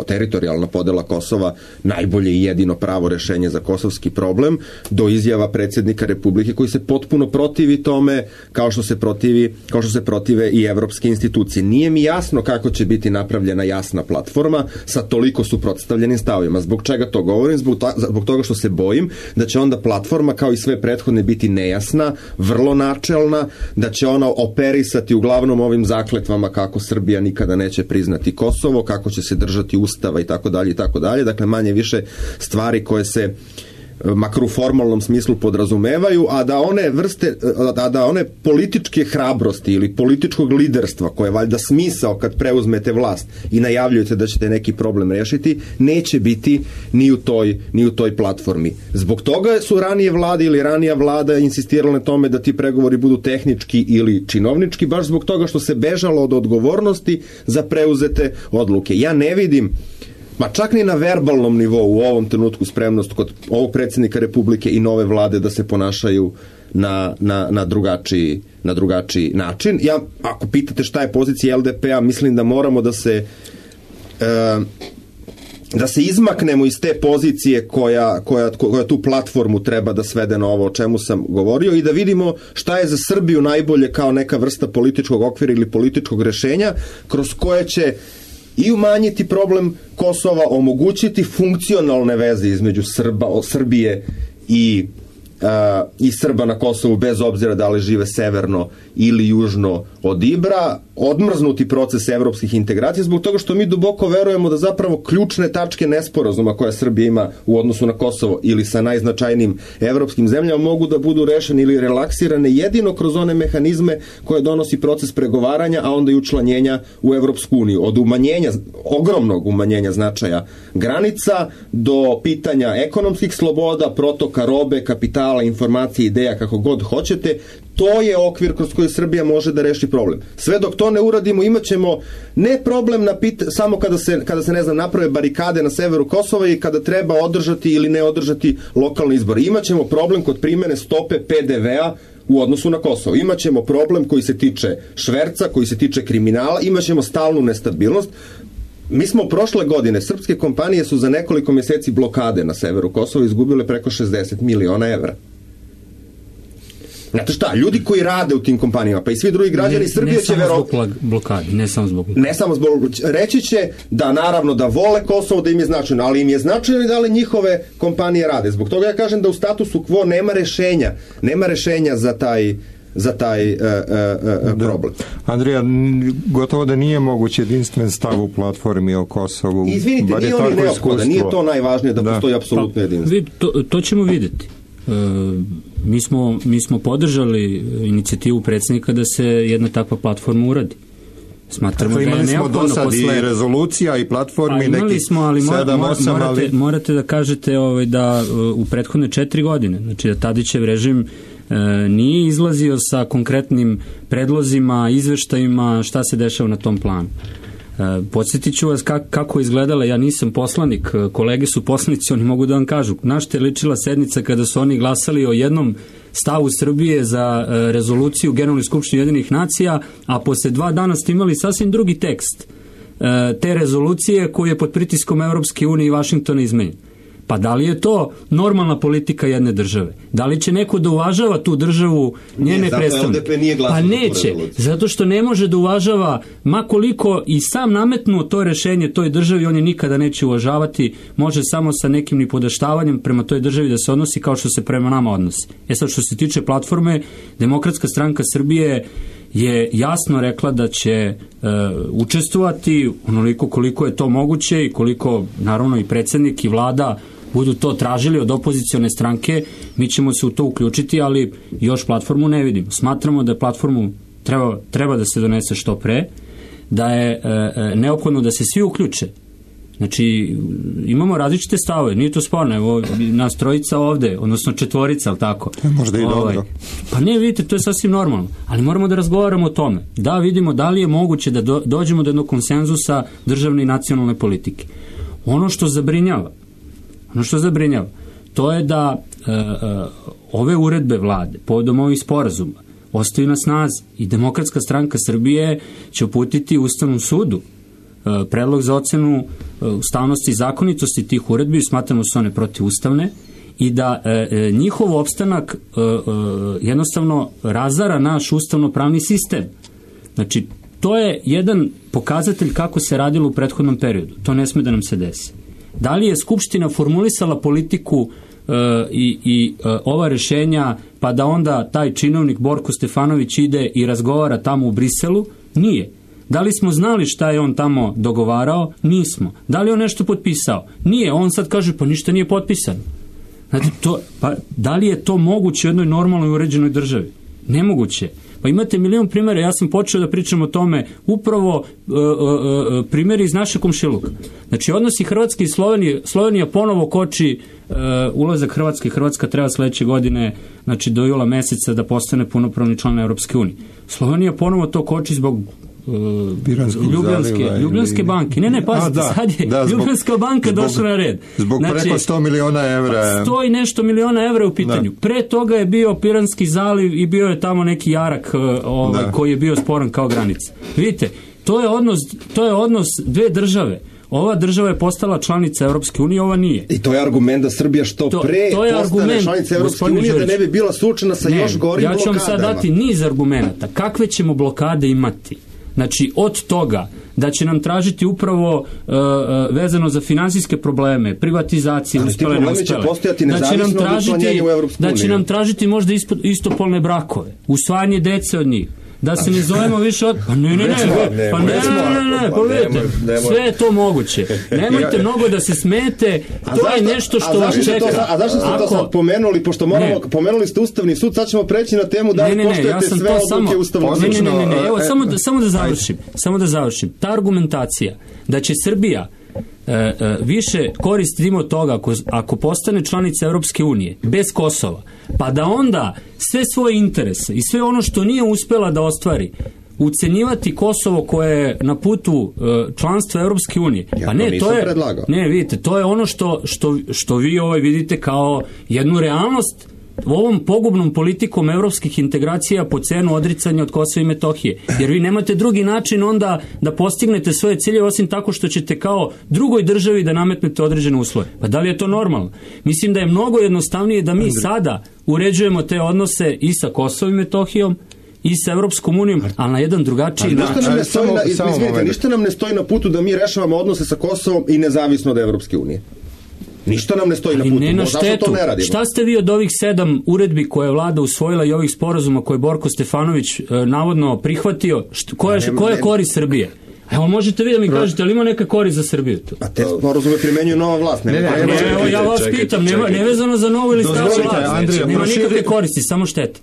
teritorijalna podela Kosova najbolje i jedino pravo rešenje za kosovski problem, do izjava predsjednika Republike koji se potpuno protivi tome kao što se protive i evropske institucije. Nije mi jasno kako će biti napravljena jasna platforma sa toliko suprotstavljenim stavovima. Zbog čega to govorim? Zbog toga što se bojim da će onda platforma kao i sve prethodne biti nejasna, vrlo načelna, da će ona operisati uglavnom ovim zakletvama kako Srbija nikada neće priznati Kosovo, kako će se držati ustava i tako dalje i tako dalje. Dakle, manje više stvari koje se makar u formalnom smislu podrazumevaju, a da one političke hrabrosti ili političkog liderstva, koje je valjda smisao kad preuzmete vlast i najavljujete da ćete neki problem rešiti, neće biti ni u toj platformi. Zbog toga su ranije vlade ili ranija vlada insistirale na tome da ti pregovori budu tehnički ili činovnički, baš zbog toga što se bežalo od odgovornosti za preuzete odluke. Ja ne vidim čak ni na verbalnom nivou u ovom trenutku spremnost kod ovog predsjednika Republike i nove vlade da se ponašaju na drugačiji način. Ja, ako pitate šta je pozicija LDP-a, mislim da moramo da se izmaknemo iz te pozicije koja tu platformu treba da svede na ovo o čemu sam govorio i da vidimo šta je za Srbiju najbolje kao neka vrsta političkog okvira ili političkog rešenja kroz koje će i umanjiti problem Kosova, omogućiti funkcionalne veze između Srbije i Srba na Kosovu, bez obzira da li žive severno ili južno od Ibra, odmrznuti proces evropskih integracija, zbog toga što mi duboko verujemo da zapravo ključne tačke nesporazuma koje Srbija ima u odnosu na Kosovo ili sa najznačajnijim evropskim zemljama mogu da budu rešene ili relaksirane jedino kroz one mehanizme koje donosi proces pregovaranja, a onda i učlanjenja u Evropsku uniju. Od ogromnog umanjenja značaja granica do pitanja ekonomskih sloboda, protoka robe, kapitala, informacije, ideja, kako god hoćete. To je okvir kroz koji Srbija može da reši problem. Sve dok to ne uradimo, imat ćemo ne problem samo kada se naprave barikade na severu Kosova i kada treba održati ili ne održati lokalne izbore. Imaćemo problem kod primene stope PDV-a u odnosu na Kosovo. Imaćemo problem koji se tiče šverca, koji se tiče kriminala, imaćemo stalnu nestabilnost. Mi smo prošle godine, srpske kompanije su za nekoliko mjeseci blokade na severu Kosova izgubile preko 60 miliona evra. Znate šta, ljudi koji rade u tim kompanijama, pa i svi drugi građani Srbije će verovati... Ne samo zbog blokade, ne samo zbog blokade. Ne samo zbog... Reći će da naravno da vole Kosovo, da im je značajno, ali im je značajno i da li njihove kompanije rade. Zbog toga ja kažem da u statusu quo nema rešenja za taj problem. Andrija, gotovo da nije moguće jedinstven stav u platformi o Kosovu. Izvinite, nije on neophodan, nije to najvažnije da postoji apsolutno jedinstvo. To ćemo vidjeti. Mi smo podržali inicijativu predsjednika da se jedna takva platforma uradi. Smatramo da je neophodno posle... i rezolucija i platformi imali smo, ali morate da kažete da u prethodne 4 godine, znači da Tadićev režim nije izlazio sa konkretnim predlozima, izveštajima šta se dešava na tom planu. Podsjetit ću vas kako je izgledala, ja nisam poslanik, kolege su poslanici, oni mogu da vam kažu na što je ličila sednica kada su oni glasali o jednom stavu Srbije za rezoluciju Generalne skupštine Ujedinjenih nacija, a posle 2 dana ste imali sasvim drugi tekst te rezolucije koji je pod pritiskom Evropske unije i Vašingtona izmenjen. Pa da li je to normalna politika jedne države? Da li će neko da uvažava tu državu, njene predstavnike? Pa neće, zato što ne može da uvažava, ma koliko i sam nametnuo to rešenje toj državi, on je nikada neće uvažavati, može samo sa nekim nipodaštavanjem prema toj državi da se odnosi kao što se prema nama odnosi. Sad što se tiče platforme, Demokratska stranka Srbije je jasno rekla da će učestvovati onoliko koliko je to moguće i koliko naravno i predsjednik i vlada budu to tražili od opozicione stranke, mi ćemo se u to uključiti, ali još platformu ne vidimo. Smatramo da platformu treba da se donese što pre, da je neophodno da se svi uključe. Znači, imamo različite stavove, nije to sporno, evo, nas trojica ovde, odnosno četvorica, ali tako? Možda i dobro. Pa ne, vidite, to je sasvim normalno, ali moramo da razgovaramo o tome, da vidimo da li je moguće da dođemo do jednog konsenzusa državne i nacionalne politike. Ono što zabrinjava, to je da ove uredbe vlade, povodom ovih sporazuma, ostaju na snazi i Demokratska stranka Srbije će uputiti Ustavnom sudu predlog za ocenu ustavnosti i zakonitosti tih uredbi, smatramo su one protivustavne i da njihov opstanak jednostavno razara naš ustavno-pravni sistem. Znači, to je jedan pokazatelj kako se radilo u prethodnom periodu. To ne sme da nam se desi. Da li je Skupština formulisala politiku i ova rešenja, pa da onda taj činovnik Borko Stefanović ide i razgovara tamo u Briselu? Nije. Da li smo znali šta je on tamo dogovarao? Nismo. Da li on nešto potpisao? Nije. On sad kaže, pa ništa nije potpisano. Znači, da li je to moguće u jednoj normalnoj uređenoj državi? Nemoguće. Pa imate milion primjera, ja sam počeo da pričam o tome, upravo primjeri iz naše komšiluka. Znači, odnosi Hrvatske i Slovenija ponovo koči ulazak Hrvatske. Hrvatska treba sledeće godine, znači do jula meseca, da postane punopravni član Europske unije. Slovenija ponovo to koči zbog Ljubljanske banke. Ne, pazite, sad je Ljubljanska banka došla na red. Zbog preko 100 miliona evra. 100 i nešto miliona evra u pitanju. Pre toga je bio Piranski zaliv i bio je tamo neki jarak koji je bio sporan kao granica. Vidite, to je odnos dve države. Ova država je postala članica Europske unije, ova nije. I to je argument da Srbija što pre postane članica Europske unije, da ne bi bila suočena sa još gorim blokadama. Ja ću vam sad dati niz argumenta. Kakve ćemo blokade imati? Znači, od toga da će nam tražiti upravo vezano za finansijske probleme, privatizacije, uspele, da će nam tražiti možda istopolne brakove, usvajanje dece od njih, da se ne zovemo više od... Pa ne, vidite, sve je to moguće. Nemojte mnogo da se smete, to je nešto što vas čeka. A zašto ste to sad pomenuli, pošto pomenuli ste Ustavni sud, sad ćemo preći na temu da li poštujete sve odluke Ustavnog suda. Ne, evo, samo da završim. Ta argumentacija da će Srbija više koristimo od toga ako postane članica Europske unije bez Kosova, pa da onda sve svoje interese i sve ono što nije uspela da ostvari ucenjivati Kosovo koje je na putu članstva Europske unije. Pa ne, to je predlagao. Ne, vidite, to je ono što vi vidite kao jednu realnost ovom pogubnom politikom evropskih integracija po cenu odricanja od Kosova i Metohije. Jer vi nemate drugi način onda da postignete svoje ciljeve osim tako što ćete kao drugoj državi da nametnete određene uslove. Pa da li je to normalno? Mislim da je mnogo jednostavnije da mi sada uređujemo te odnose i sa Kosovom i Metohijom i sa Evropskom unijom, ali na jedan drugačiji način. Ništa nam ne stoji na putu da mi rešavamo odnose sa Kosovom i nezavisno od Evropske unije. Ništa nam ne stoji na putu. Ne na štetu. Šta ste vi od ovih 7 uredbi koje je vlada usvojila i ovih sporazuma koje je Borko Stefanović navodno prihvatio? Koja je korist Srbije? Evo, možete vi da mi kažete, ali ima neka korist za Srbiju tu? A te sporazume primenjuju nova vlast. Evo, ja vas pitam, nevezano za novu ili staru vlast. Nema nikakve koristi, samo štete.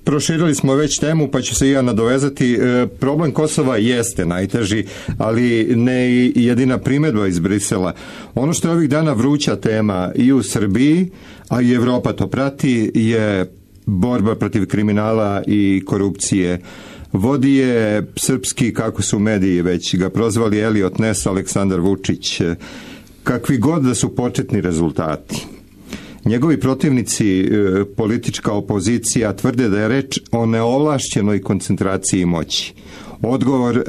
Proširili smo već temu, pa ću se i ja nadovezati. Problem Kosova jeste najteži, ali ne i jedina primjedba iz Brisela. Ono što je ovih dana vruća tema i u Srbiji, a i Evropa to prati, je borba protiv kriminala i korupcije. Vodi je srpski, kako su mediji već ga prozvali, Eliot Ness, Aleksandar Vučić. Kakvi god da su početni rezultati. Njegovi protivnici, politička opozicija, tvrde da je reč o neovlašćenoj koncentraciji moći. Odgovor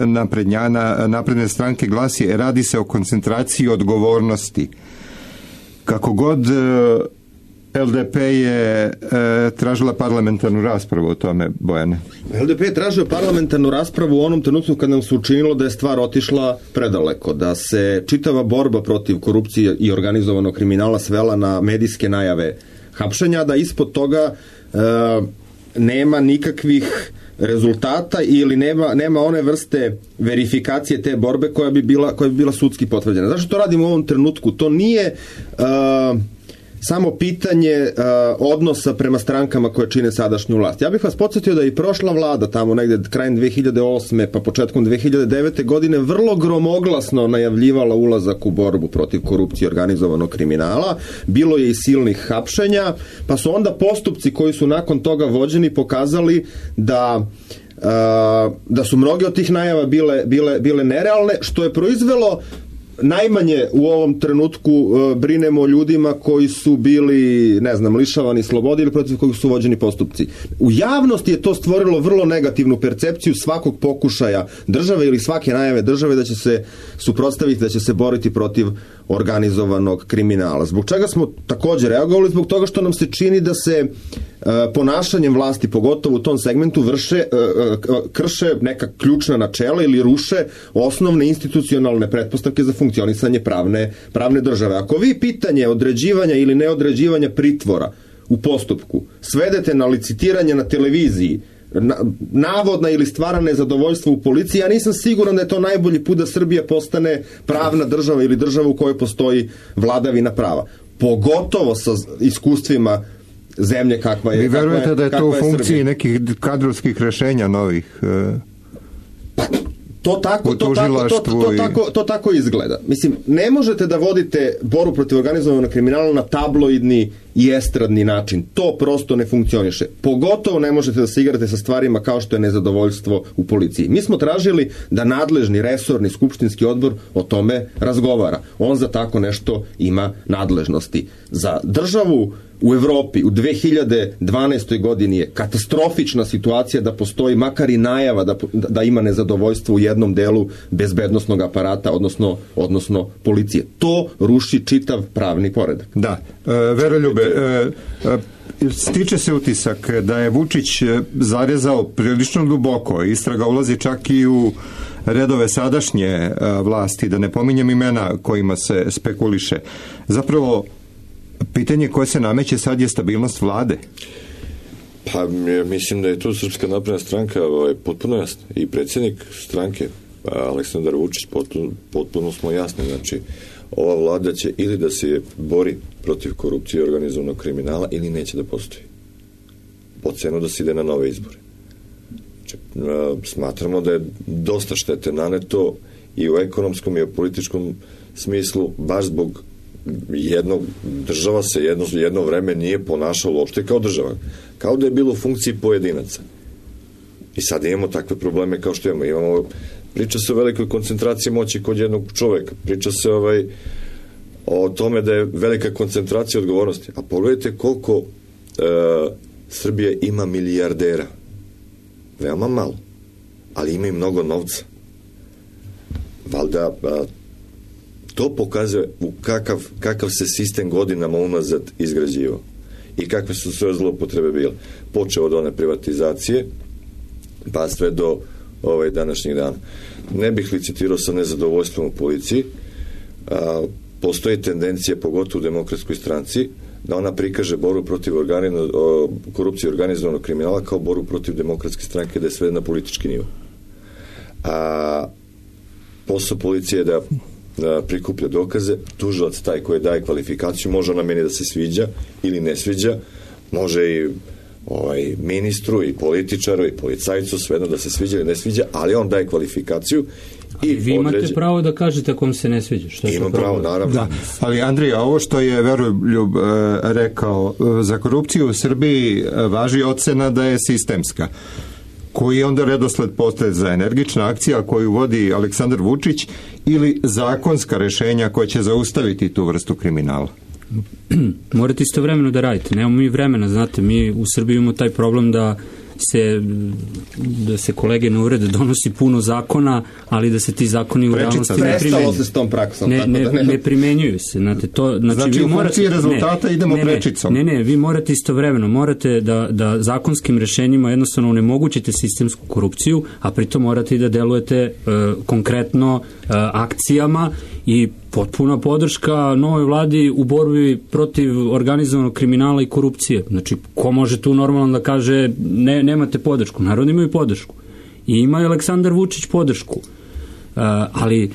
napredne stranke glasi: radi se o koncentraciji odgovornosti. Kako god, LDP je tražila parlamentarnu raspravu o tome, Bojane. LDP je tražio parlamentarnu raspravu u onom trenutku kad nam se učinilo da je stvar otišla predaleko, da se čitava borba protiv korupcije i organizovanog kriminala svela na medijske najave hapšenja, da ispod toga nema nikakvih rezultata ili nema one vrste verifikacije te borbe koja bi bila sudski potvrđena. Zašto to radimo u ovom trenutku? To nije samo pitanje odnosa prema strankama koje čine sadašnju vlast. Ja bih vas podsjetio da i prošla vlada, tamo negde krajem 2008. pa početkom 2009. godine, vrlo gromoglasno najavljivala ulazak u borbu protiv korupcije i organizovanog kriminala. Bilo je i silnih hapšenja, pa su onda postupci koji su nakon toga vođeni pokazali da su mnoge od tih najava bile nerealne, što je proizvelo najmanje u ovom trenutku brinemo o ljudima koji su bili, lišavani slobode ili protiv kojih su vođeni postupci. U javnosti je to stvorilo vrlo negativnu percepciju svakog pokušaja države ili svake najave države da će se suprotstaviti, da će se boriti protiv organizovanog kriminala. Zbog čega smo također reagovali? Zbog toga što nam se čini da se ponašanjem vlasti, pogotovo u tom segmentu, krše neka ključna načela ili ruše osnovne institucionalne pretpostavke za funkcionisanje pravne države. Ako vi pitanje određivanja ili neodređivanja pritvora u postupku svedete na licitiranje na televiziji, navodna ili stvarna nezadovoljstvo u policiji, ja nisam siguran da je to najbolji put da Srbija postane pravna država ili država u kojoj postoji vladavina prava. Pogotovo sa iskustvima zemlje kakva je. Vi verujete da je to u funkciji nekih kadrovskih rešenja novih? To tako izgleda. Mislim, ne možete da vodite borbu protiv organizovanog kriminala na tabloidni i estradni način. To prosto ne funkcioniše. Pogotovo ne možete da se igrate sa stvarima kao što je nezadovoljstvo u policiji. Mi smo tražili da nadležni resorni skupštinski odbor o tome razgovara. On za tako nešto ima nadležnosti. Za državu u Evropi u 2012. godini je katastrofična situacija da postoji makar i najava da ima nezadovoljstvo u jednom delu bezbednosnog aparata, odnosno policije. To ruši čitav pravni poredak. Da. Veroljube, stiče se utisak da je Vučić zarezao prilično duboko. Istraga ulazi čak i u redove sadašnje vlasti, da ne pominjem imena kojima se spekuliše. Zapravo, pitanje koje se nameće sad je stabilnost vlade. Pa mislim da je tu Srpska napredna stranka potpuno jasna. I predsjednik stranke Aleksandar Vučić potpuno smo jasni. Znači, ova vlada će ili da se bori protiv korupcije i organizovanog kriminala ili neće da postoji. Po cenu da se ide na nove izbore. Znači, smatramo da je dosta štete naneto i u ekonomskom i u političkom smislu, baš zbog država se jedno vreme nije ponašala uopšte kao država. Kao da je bilo u funkciji pojedinaca. I sad imamo takve probleme kao što imamo. Priča se o velikoj koncentraciji moći kod jednog čoveka. Priča se o tome da je velika koncentracija odgovornosti. A pogledajte koliko Srbija ima milijardera. Veoma malo. Ali ima i mnogo novca. Valjda to pokazuje u kakav se sistem godinama unazad izgrađivao i kakve su sve zloupotrebe bile. Počeo od one privatizacije pa sve do današnjih dana. Ne bih licitirao sa nezadovoljstvom u policiji. Postoji tendencija, pogotovo u Demokratskoj stranci, da ona prikaže borbu protiv korupcije i organizovanog kriminala kao borbu protiv Demokratske stranke, da je sve na politički nivo. Posao policije je da prikuplja dokaze, tužilac taj koji daje kvalifikaciju, može ona meni da se sviđa ili ne sviđa, može i ministru i političaru i policajcu svejedno da se sviđa ili ne sviđa, ali on daje kvalifikaciju i vi imate pravo da kažete ako vam se ne sviđa. Imam pravo, naravno. Da, ali Andrija, ovo što je Veroljub rekao, za korupciju u Srbiji važi ocena da je sistemska. Koji onda redosled postaje za energična akcija koju vodi Aleksandar Vučić ili zakonska rešenja koja će zaustaviti tu vrstu kriminala? Morate istovremeno da radite. Nemamo mi vremena, znate, mi u Srbiji imamo taj problem da se kolege ne uvrede, donosi puno zakona, ali da se ti zakoni u realnosti ne primenjuju. Se s tom praksom. Ne primenjuju se. Znači u funkciji rezultata idemo prečicom. Ne, vi morate istovremeno, morate da zakonskim rešenjima jednostavno onemogućite sistemsku korupciju, a pritom morate i da delujete konkretno akcijama i potpuna podrška novoj vladi u borbi protiv organizovanog kriminala i korupcije. Znači, ko može tu normalno da kaže nemate podršku? Narod imaju podršku. I ima i Aleksandar Vučić podršku. Ali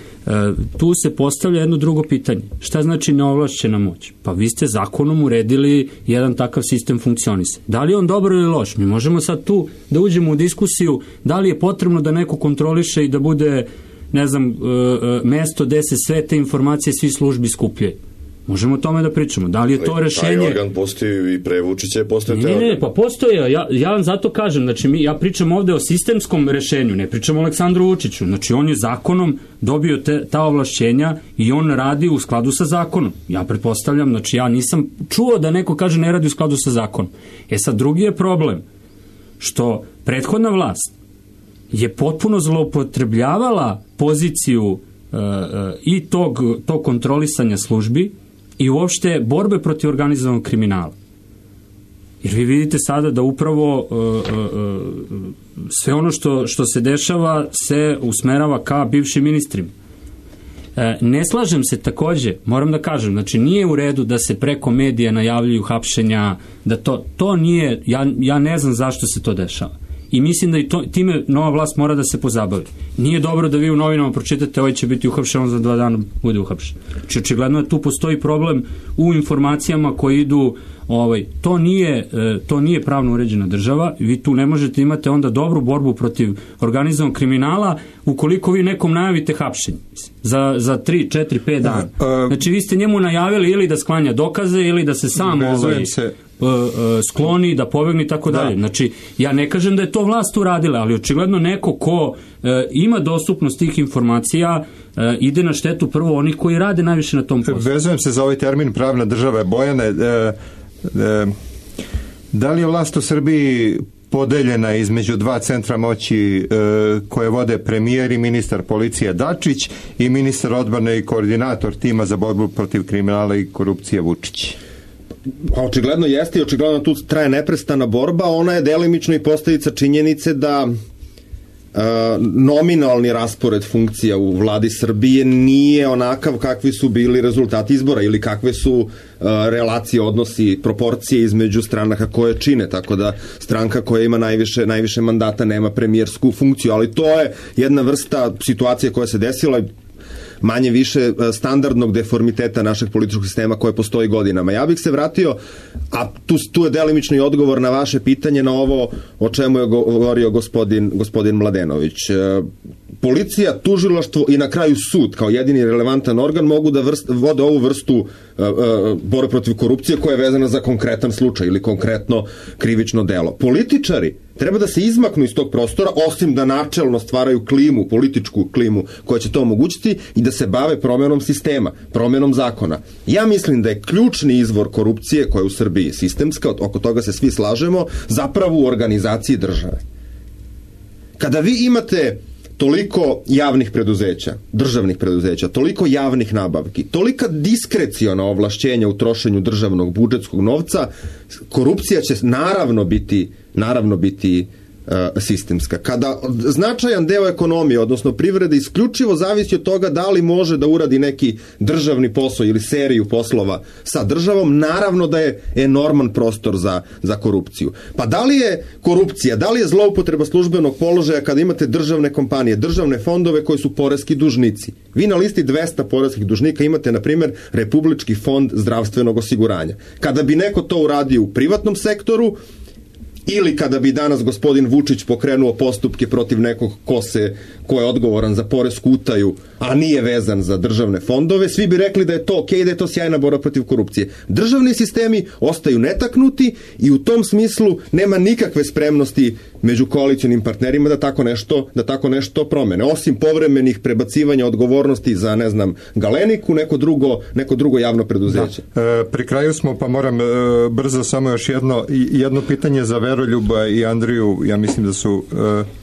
tu se postavlja jedno drugo pitanje. Šta znači neovlašćena moć? Pa vi ste zakonom uredili jedan takav sistem funkcionisanja. Da li je on dobar ili loš? Mi možemo sad tu da uđemo u diskusiju da li je potrebno da neko kontroliše i da bude, ne znam, mesto gde se sve te informacije svi službi skupljaju. Možemo o tome da pričamo. Da li je to rešenje? Taj organ postoji i pre Vučića je postoje te organ. Ne, pa postoje. Ja vam zato kažem, znači ja pričam ovde o sistemskom rešenju, ne pričam o Aleksandru Vučiću. Znači on je zakonom dobio ta ovlašćenja i on radi u skladu sa zakonom. Ja pretpostavljam, znači ja nisam čuo da neko kaže ne radi u skladu sa zakonom. Sad drugi je problem što prethodna vlast je potpuno zloupotrebljavala poziciju i tog kontrolisanja službi i uopšte borbe protiv organizovanog kriminala. Jer vi vidite sada da upravo sve ono što se dešava se usmerava ka bivšim ministrima. Ne slažem se takođe, moram da kažem, znači nije u redu da se preko medija najavljuju hapšenja, da to nije, ja ne znam zašto se to dešava. I mislim da i time nova vlast mora da se pozabavi. Nije dobro da vi u novinama pročitate ovaj će biti uhapšen, on za 2 dana bude uhapšen. Znači očigledno da tu postoji problem u informacijama koje idu, to nije pravno uređena država, vi tu ne možete imati onda dobru borbu protiv organizovanog kriminala ukoliko vi nekom najavite hapšenje za 3, 4, 5 dana. Znači vi ste njemu najavili ili da sklanja dokaze ili da se sam skloni, da pobegne i tako dalje. Znači, ja ne kažem da je to vlast uradila, ali očigledno neko ko ima dostupnost tih informacija ide na štetu prvo onih koji rade najviše na tom poslu. Vezujem se za ovaj termin pravna država. Bojane, da li je vlast u Srbiji podeljena između 2 centra moći koje vode premijer i ministar policije Dačić i ministar odbrane i koordinator tima za borbu protiv kriminala i korupcije Vučić? Očigledno jeste i očigledno tu traje neprestana borba. Ona je delimično i posledica činjenice da nominalni raspored funkcija u vladi Srbije nije onakav kakvi su bili rezultati izbora ili kakve su relacije, odnosi, proporcije između stranaka koje čine, tako da stranka koja ima najviše mandata nema premijersku funkciju, ali to je jedna vrsta situacije koja se desila manje više standardnog deformiteta našeg političkog sistema koje postoji godinama. Ja bih se vratio, a tu je delimično i odgovor na vaše pitanje na ovo o čemu je govorio gospodin Mladenović. Policija, tužilaštvo i na kraju sud kao jedini relevantan organ mogu da vode ovu vrstu borbe protiv korupcije koja je vezana za konkretan slučaj ili konkretno krivično delo. Političari treba da se izmaknu iz tog prostora, osim da načelno stvaraju klimu, političku klimu koja će to omogućiti i da se bave promenom sistema, promenom zakona. Ja mislim da je ključni izvor korupcije koja je u Srbiji sistemska, oko toga se svi slažemo, zapravo u organizaciji države. Kada vi imate toliko javnih preduzeća, državnih preduzeća, toliko javnih nabavki, tolika diskreciona ovlašćenja u trošenju državnog budžetskog novca, korupcija će naravno biti sistemska. Kada značajan deo ekonomije, odnosno privrede, isključivo zavisi od toga da li može da uradi neki državni posao ili seriju poslova sa državom, naravno da je enorman prostor za korupciju. Pa da li je korupcija, da li je zloupotreba službenog položaja kada imate državne kompanije, državne fondove koji su poreski dužnici? Vi na listi 200 poreskih dužnika imate, na primjer, Republički fond zdravstvenog osiguranja. Kada bi neko to uradio u privatnom sektoru, ili kada bi danas gospodin Vučić pokrenuo postupke protiv nekog ko je odgovoran za poresku utaju, a nije vezan za državne fondove, svi bi rekli da je to okej, da je to sjajna borba protiv korupcije. Državni sistemi ostaju netaknuti i u tom smislu nema nikakve spremnosti među koalicionim partnerima da tako nešto promene. Osim povremenih prebacivanja odgovornosti za, ne znam, Galeniku, neko drugo javno preduzeće. Pri kraju smo, pa moram brzo samo još jedno pitanje za Veroljuba i Andriju. Ja mislim da su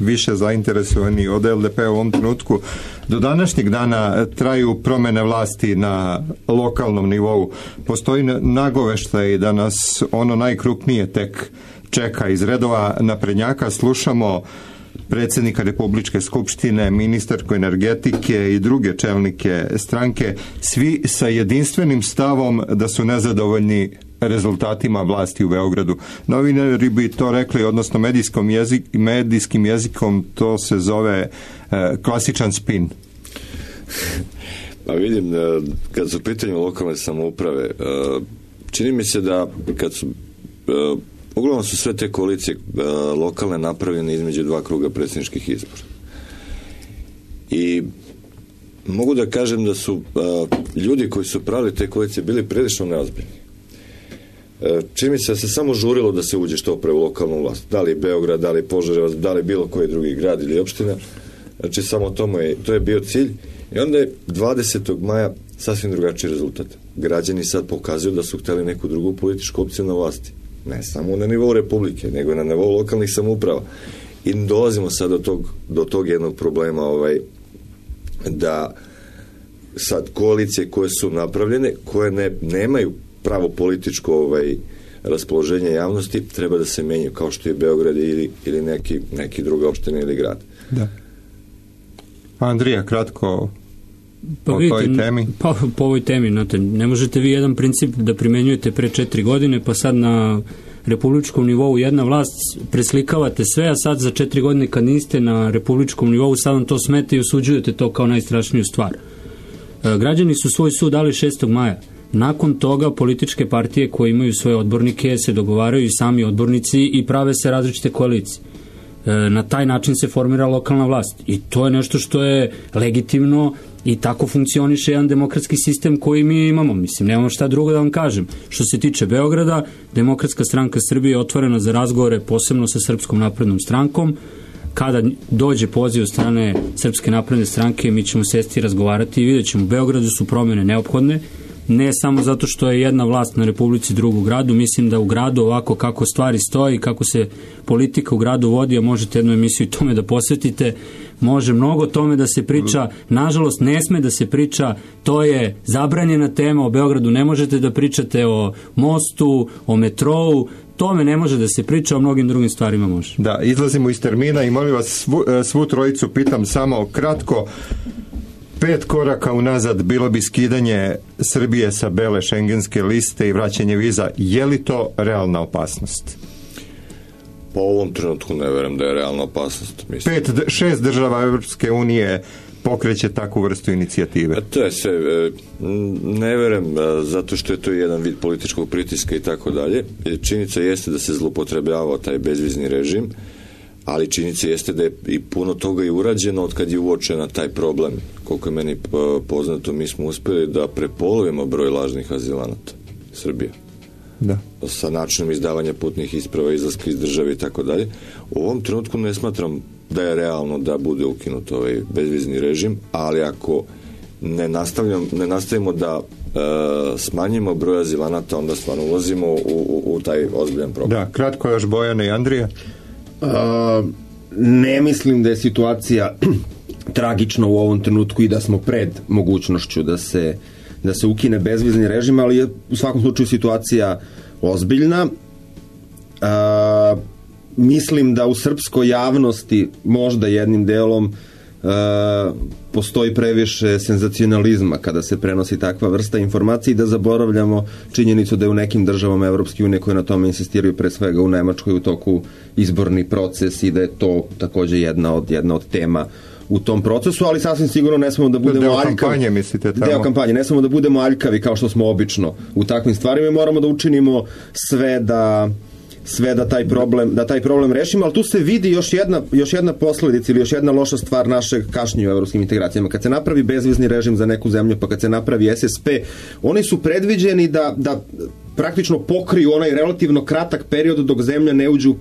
više zainteresovani od LDP u ovom trenutku. Do današnjeg dana traju promene vlasti na lokalnom nivou. Postoji nagoveštaj da nas ono najkrupnije tek čeka. Iz redova naprednjaka slušamo predsjednika Republičke skupštine, ministarku energetike i druge čelnike stranke, svi sa jedinstvenim stavom da su nezadovoljni rezultatima vlasti u Beogradu. Novinari bi to rekli, odnosno medijskim jezikom to se zove klasičan spin. Pa vidim, kad su u pitanju lokalne samouprave, čini mi se da kad su uglavnom su sve te koalicije lokalne napravljene između dva kruga predsjedničkih izbora. I mogu da kažem da su ljudi koji su pravili te koalicije bili prilično neozbiljni. Čini mi se da se samo žurilo da se uđe što pre u lokalnu vlast. Da li Beograd, da li Požarevac, da li bilo koji drugi grad ili opština. Znači samo to je bio cilj. I onda je 20. maja sasvim drugačiji rezultat. Građani sad pokazuju da su hteli neku drugu političku opciju na vlasti. Ne samo na nivou Republike, nego i na nivou lokalnih samouprava. I dolazimo sad do tog jednog problema da sad koalicije koje su napravljene, koje nemaju pravo političko raspoloženje javnosti, treba da se menjaju kao što je Beograd ili neki druga opština ili grad. Da. Andrija, kratko po toj temi. Po ovoj temi, znate, ne možete vi jedan princip da primenjujete pre 4 godine, pa sad na republičkom nivou jedna vlast preslikavate sve, a sad za 4 godine kad niste na republičkom nivou, sad vam to smete i osuđujete to kao najstrašniju stvar. Građani su svoj sud dali 6. maja. Nakon toga političke partije koje imaju svoje odbornike se dogovaraju sami odbornici i prave se različite koalicije. Na taj način se formira lokalna vlast i to je nešto što je legitimno i tako funkcioniše jedan demokratski sistem koji mi imamo. Mislim, nemamo šta drugo da vam kažem. Što se tiče Beograda, Demokratska stranka Srbije je otvorena za razgovore posebno sa Srpskom naprednom strankom. Kada dođe poziv od strane Srpske napredne stranke, mi ćemo sesti i razgovarati i vidjet ćemo. U Beogradu su promjene neophodne, ne samo zato što je jedna vlast na Republici, drugu gradu. Mislim da u gradu ovako kako stvari stoji, kako se politika u gradu vodi, a možete jednu emisiju tome da posvetite, može mnogo tome da se priča. Nažalost, ne sme da se priča, to je zabranjena tema. O Beogradu ne možete da pričate, o mostu, o metrou, tome ne može da se priča, o mnogim drugim stvarima može. Da, izlazimo iz termina i molim vas svu trojicu pitam samo kratko. 5 koraka unazad bilo bi skidanje Srbije sa bele šengenske liste i vraćanje viza. Je li to realna opasnost? Po ovom trenutku ne verujem da je realna opasnost. 6 država Evropske unije pokreće takvu vrstu inicijative. To je sve, ne verujem, zato što je to jedan vid političkog pritiska i tako dalje. Činjenica jeste da se zloupotrebljavao taj bezvizni režim, ali činjenica jeste da je i puno toga i urađeno od kad je uočena taj problem. Koliko je meni poznato, mi smo uspjeli da prepolovimo broj lažnih azilanata Srbije. Da. Sa načinom izdavanja putnih isprava, izlaska iz države i tako dalje. U ovom trenutku ne smatram da je realno da bude ukinut ovaj bezvizni režim, ali ako ne nastavimo da smanjimo broj azilanata, onda stvarno ulazimo u taj ozbiljan problem. Da, kratko još Bojana i Andrija. Ne mislim da je situacija tragična u ovom trenutku i da smo pred mogućnošću da se ukine bezvizni režim, ali je u svakom slučaju situacija ozbiljna. Mislim da u srpskoj javnosti možda jednim delom postoji previše senzacionalizma kada se prenosi takva vrsta informacije i da zaboravljamo činjenicu da je u nekim državama Evropske unije koje na tome insistiraju, pre svega u Nemačkoj, u toku izborni proces i da je to takođe jedna od tema u tom procesu, ali sasvim sigurno ne smemo da budemo aljkavi. Deo kampanje, mislite tamo? Deo kampanje, ne smemo da budemo aljkavi kao što smo obično u takvim stvarima i moramo da učinimo sve da taj problem rešimo, ali tu se vidi još jedna posledica ili još jedna loša stvar našeg kašnjenja u evropskim integracijama. Kad se napravi bezvizni režim za neku zemlju, pa kad se napravi SSP, oni su predviđeni da praktično pokriju onaj relativno kratak period dok zemlja ne uđe u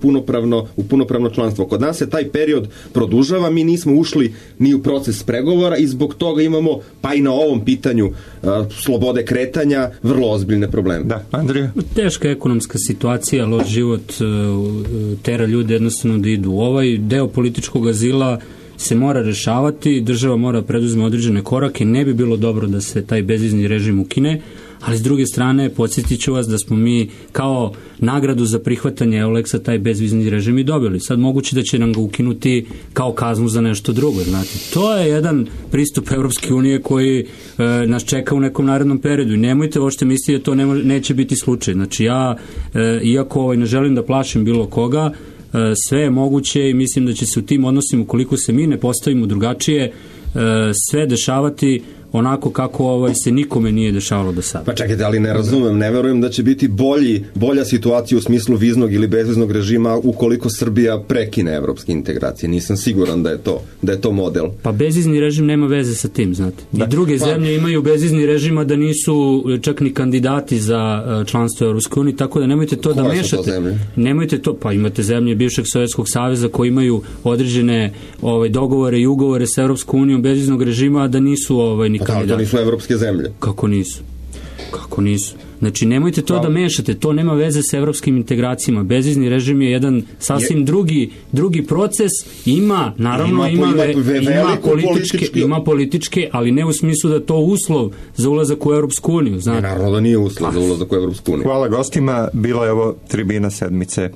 punopravno članstvo. Kod nas se taj period produžava, mi nismo ušli ni u proces pregovora i zbog toga imamo, pa i na ovom pitanju slobode kretanja, vrlo ozbiljne probleme. Da, Andrija? Teška ekonomska situacija, loš život tera ljude jednostavno da idu. Ovaj deo političkog azila se mora rešavati, država mora preduzme određene korake, ne bi bilo dobro da se taj bezvizni režim ukine, Ali s druge strane, podsjetit ću vas da smo mi kao nagradu za prihvatanje Euleksa taj bezvizni režim i dobili. Sad moguće da će nam ga ukinuti kao kaznu za nešto drugo. Znate. To je jedan pristup Evropske unije koji nas čeka u nekom narednom periodu i nemojte uopšte misliti da to neće biti slučaj. Znači ja, iako ne želim da plašim bilo koga, sve je moguće i mislim da će se u tim odnosima, ukoliko se mi ne postavimo drugačije, sve dešavati onako kako se nikome nije dešavalo do sada. Pa čekajte, ali ne razumem, ne verujem da će biti bolja situacija u smislu viznog ili bezviznog režima ukoliko Srbija prekine evropske integracije. Nisam siguran da je to model. Pa bezvizni režim nema veze sa tim, znate. I druge zemlje imaju bezvizni režim, da nisu čak ni kandidati za članstvo u Evropskoj uniji, tako da nemojte to da mešate. Koje su to zemlje? Nemojte to, pa imate zemlje bivšeg Sovjetskog saveza koji imaju određene dogovore i ugovore sa Evropskom unijom bezviznog režima, da nisu ni kandidati. To nisu evropske zemlje. Kako nisu? Znači, nemojte to da mešate, to nema veze sa evropskim integracijama. Bezvizni režim je jedan sasvim drugi proces, ima političke, ali ne u smislu da to uslov za ulazak u Evropsku uniju. Naravno da nije uslov za ulazak u Evropsku uniju. Hvala gostima, bila je ovo Tribina sedmice.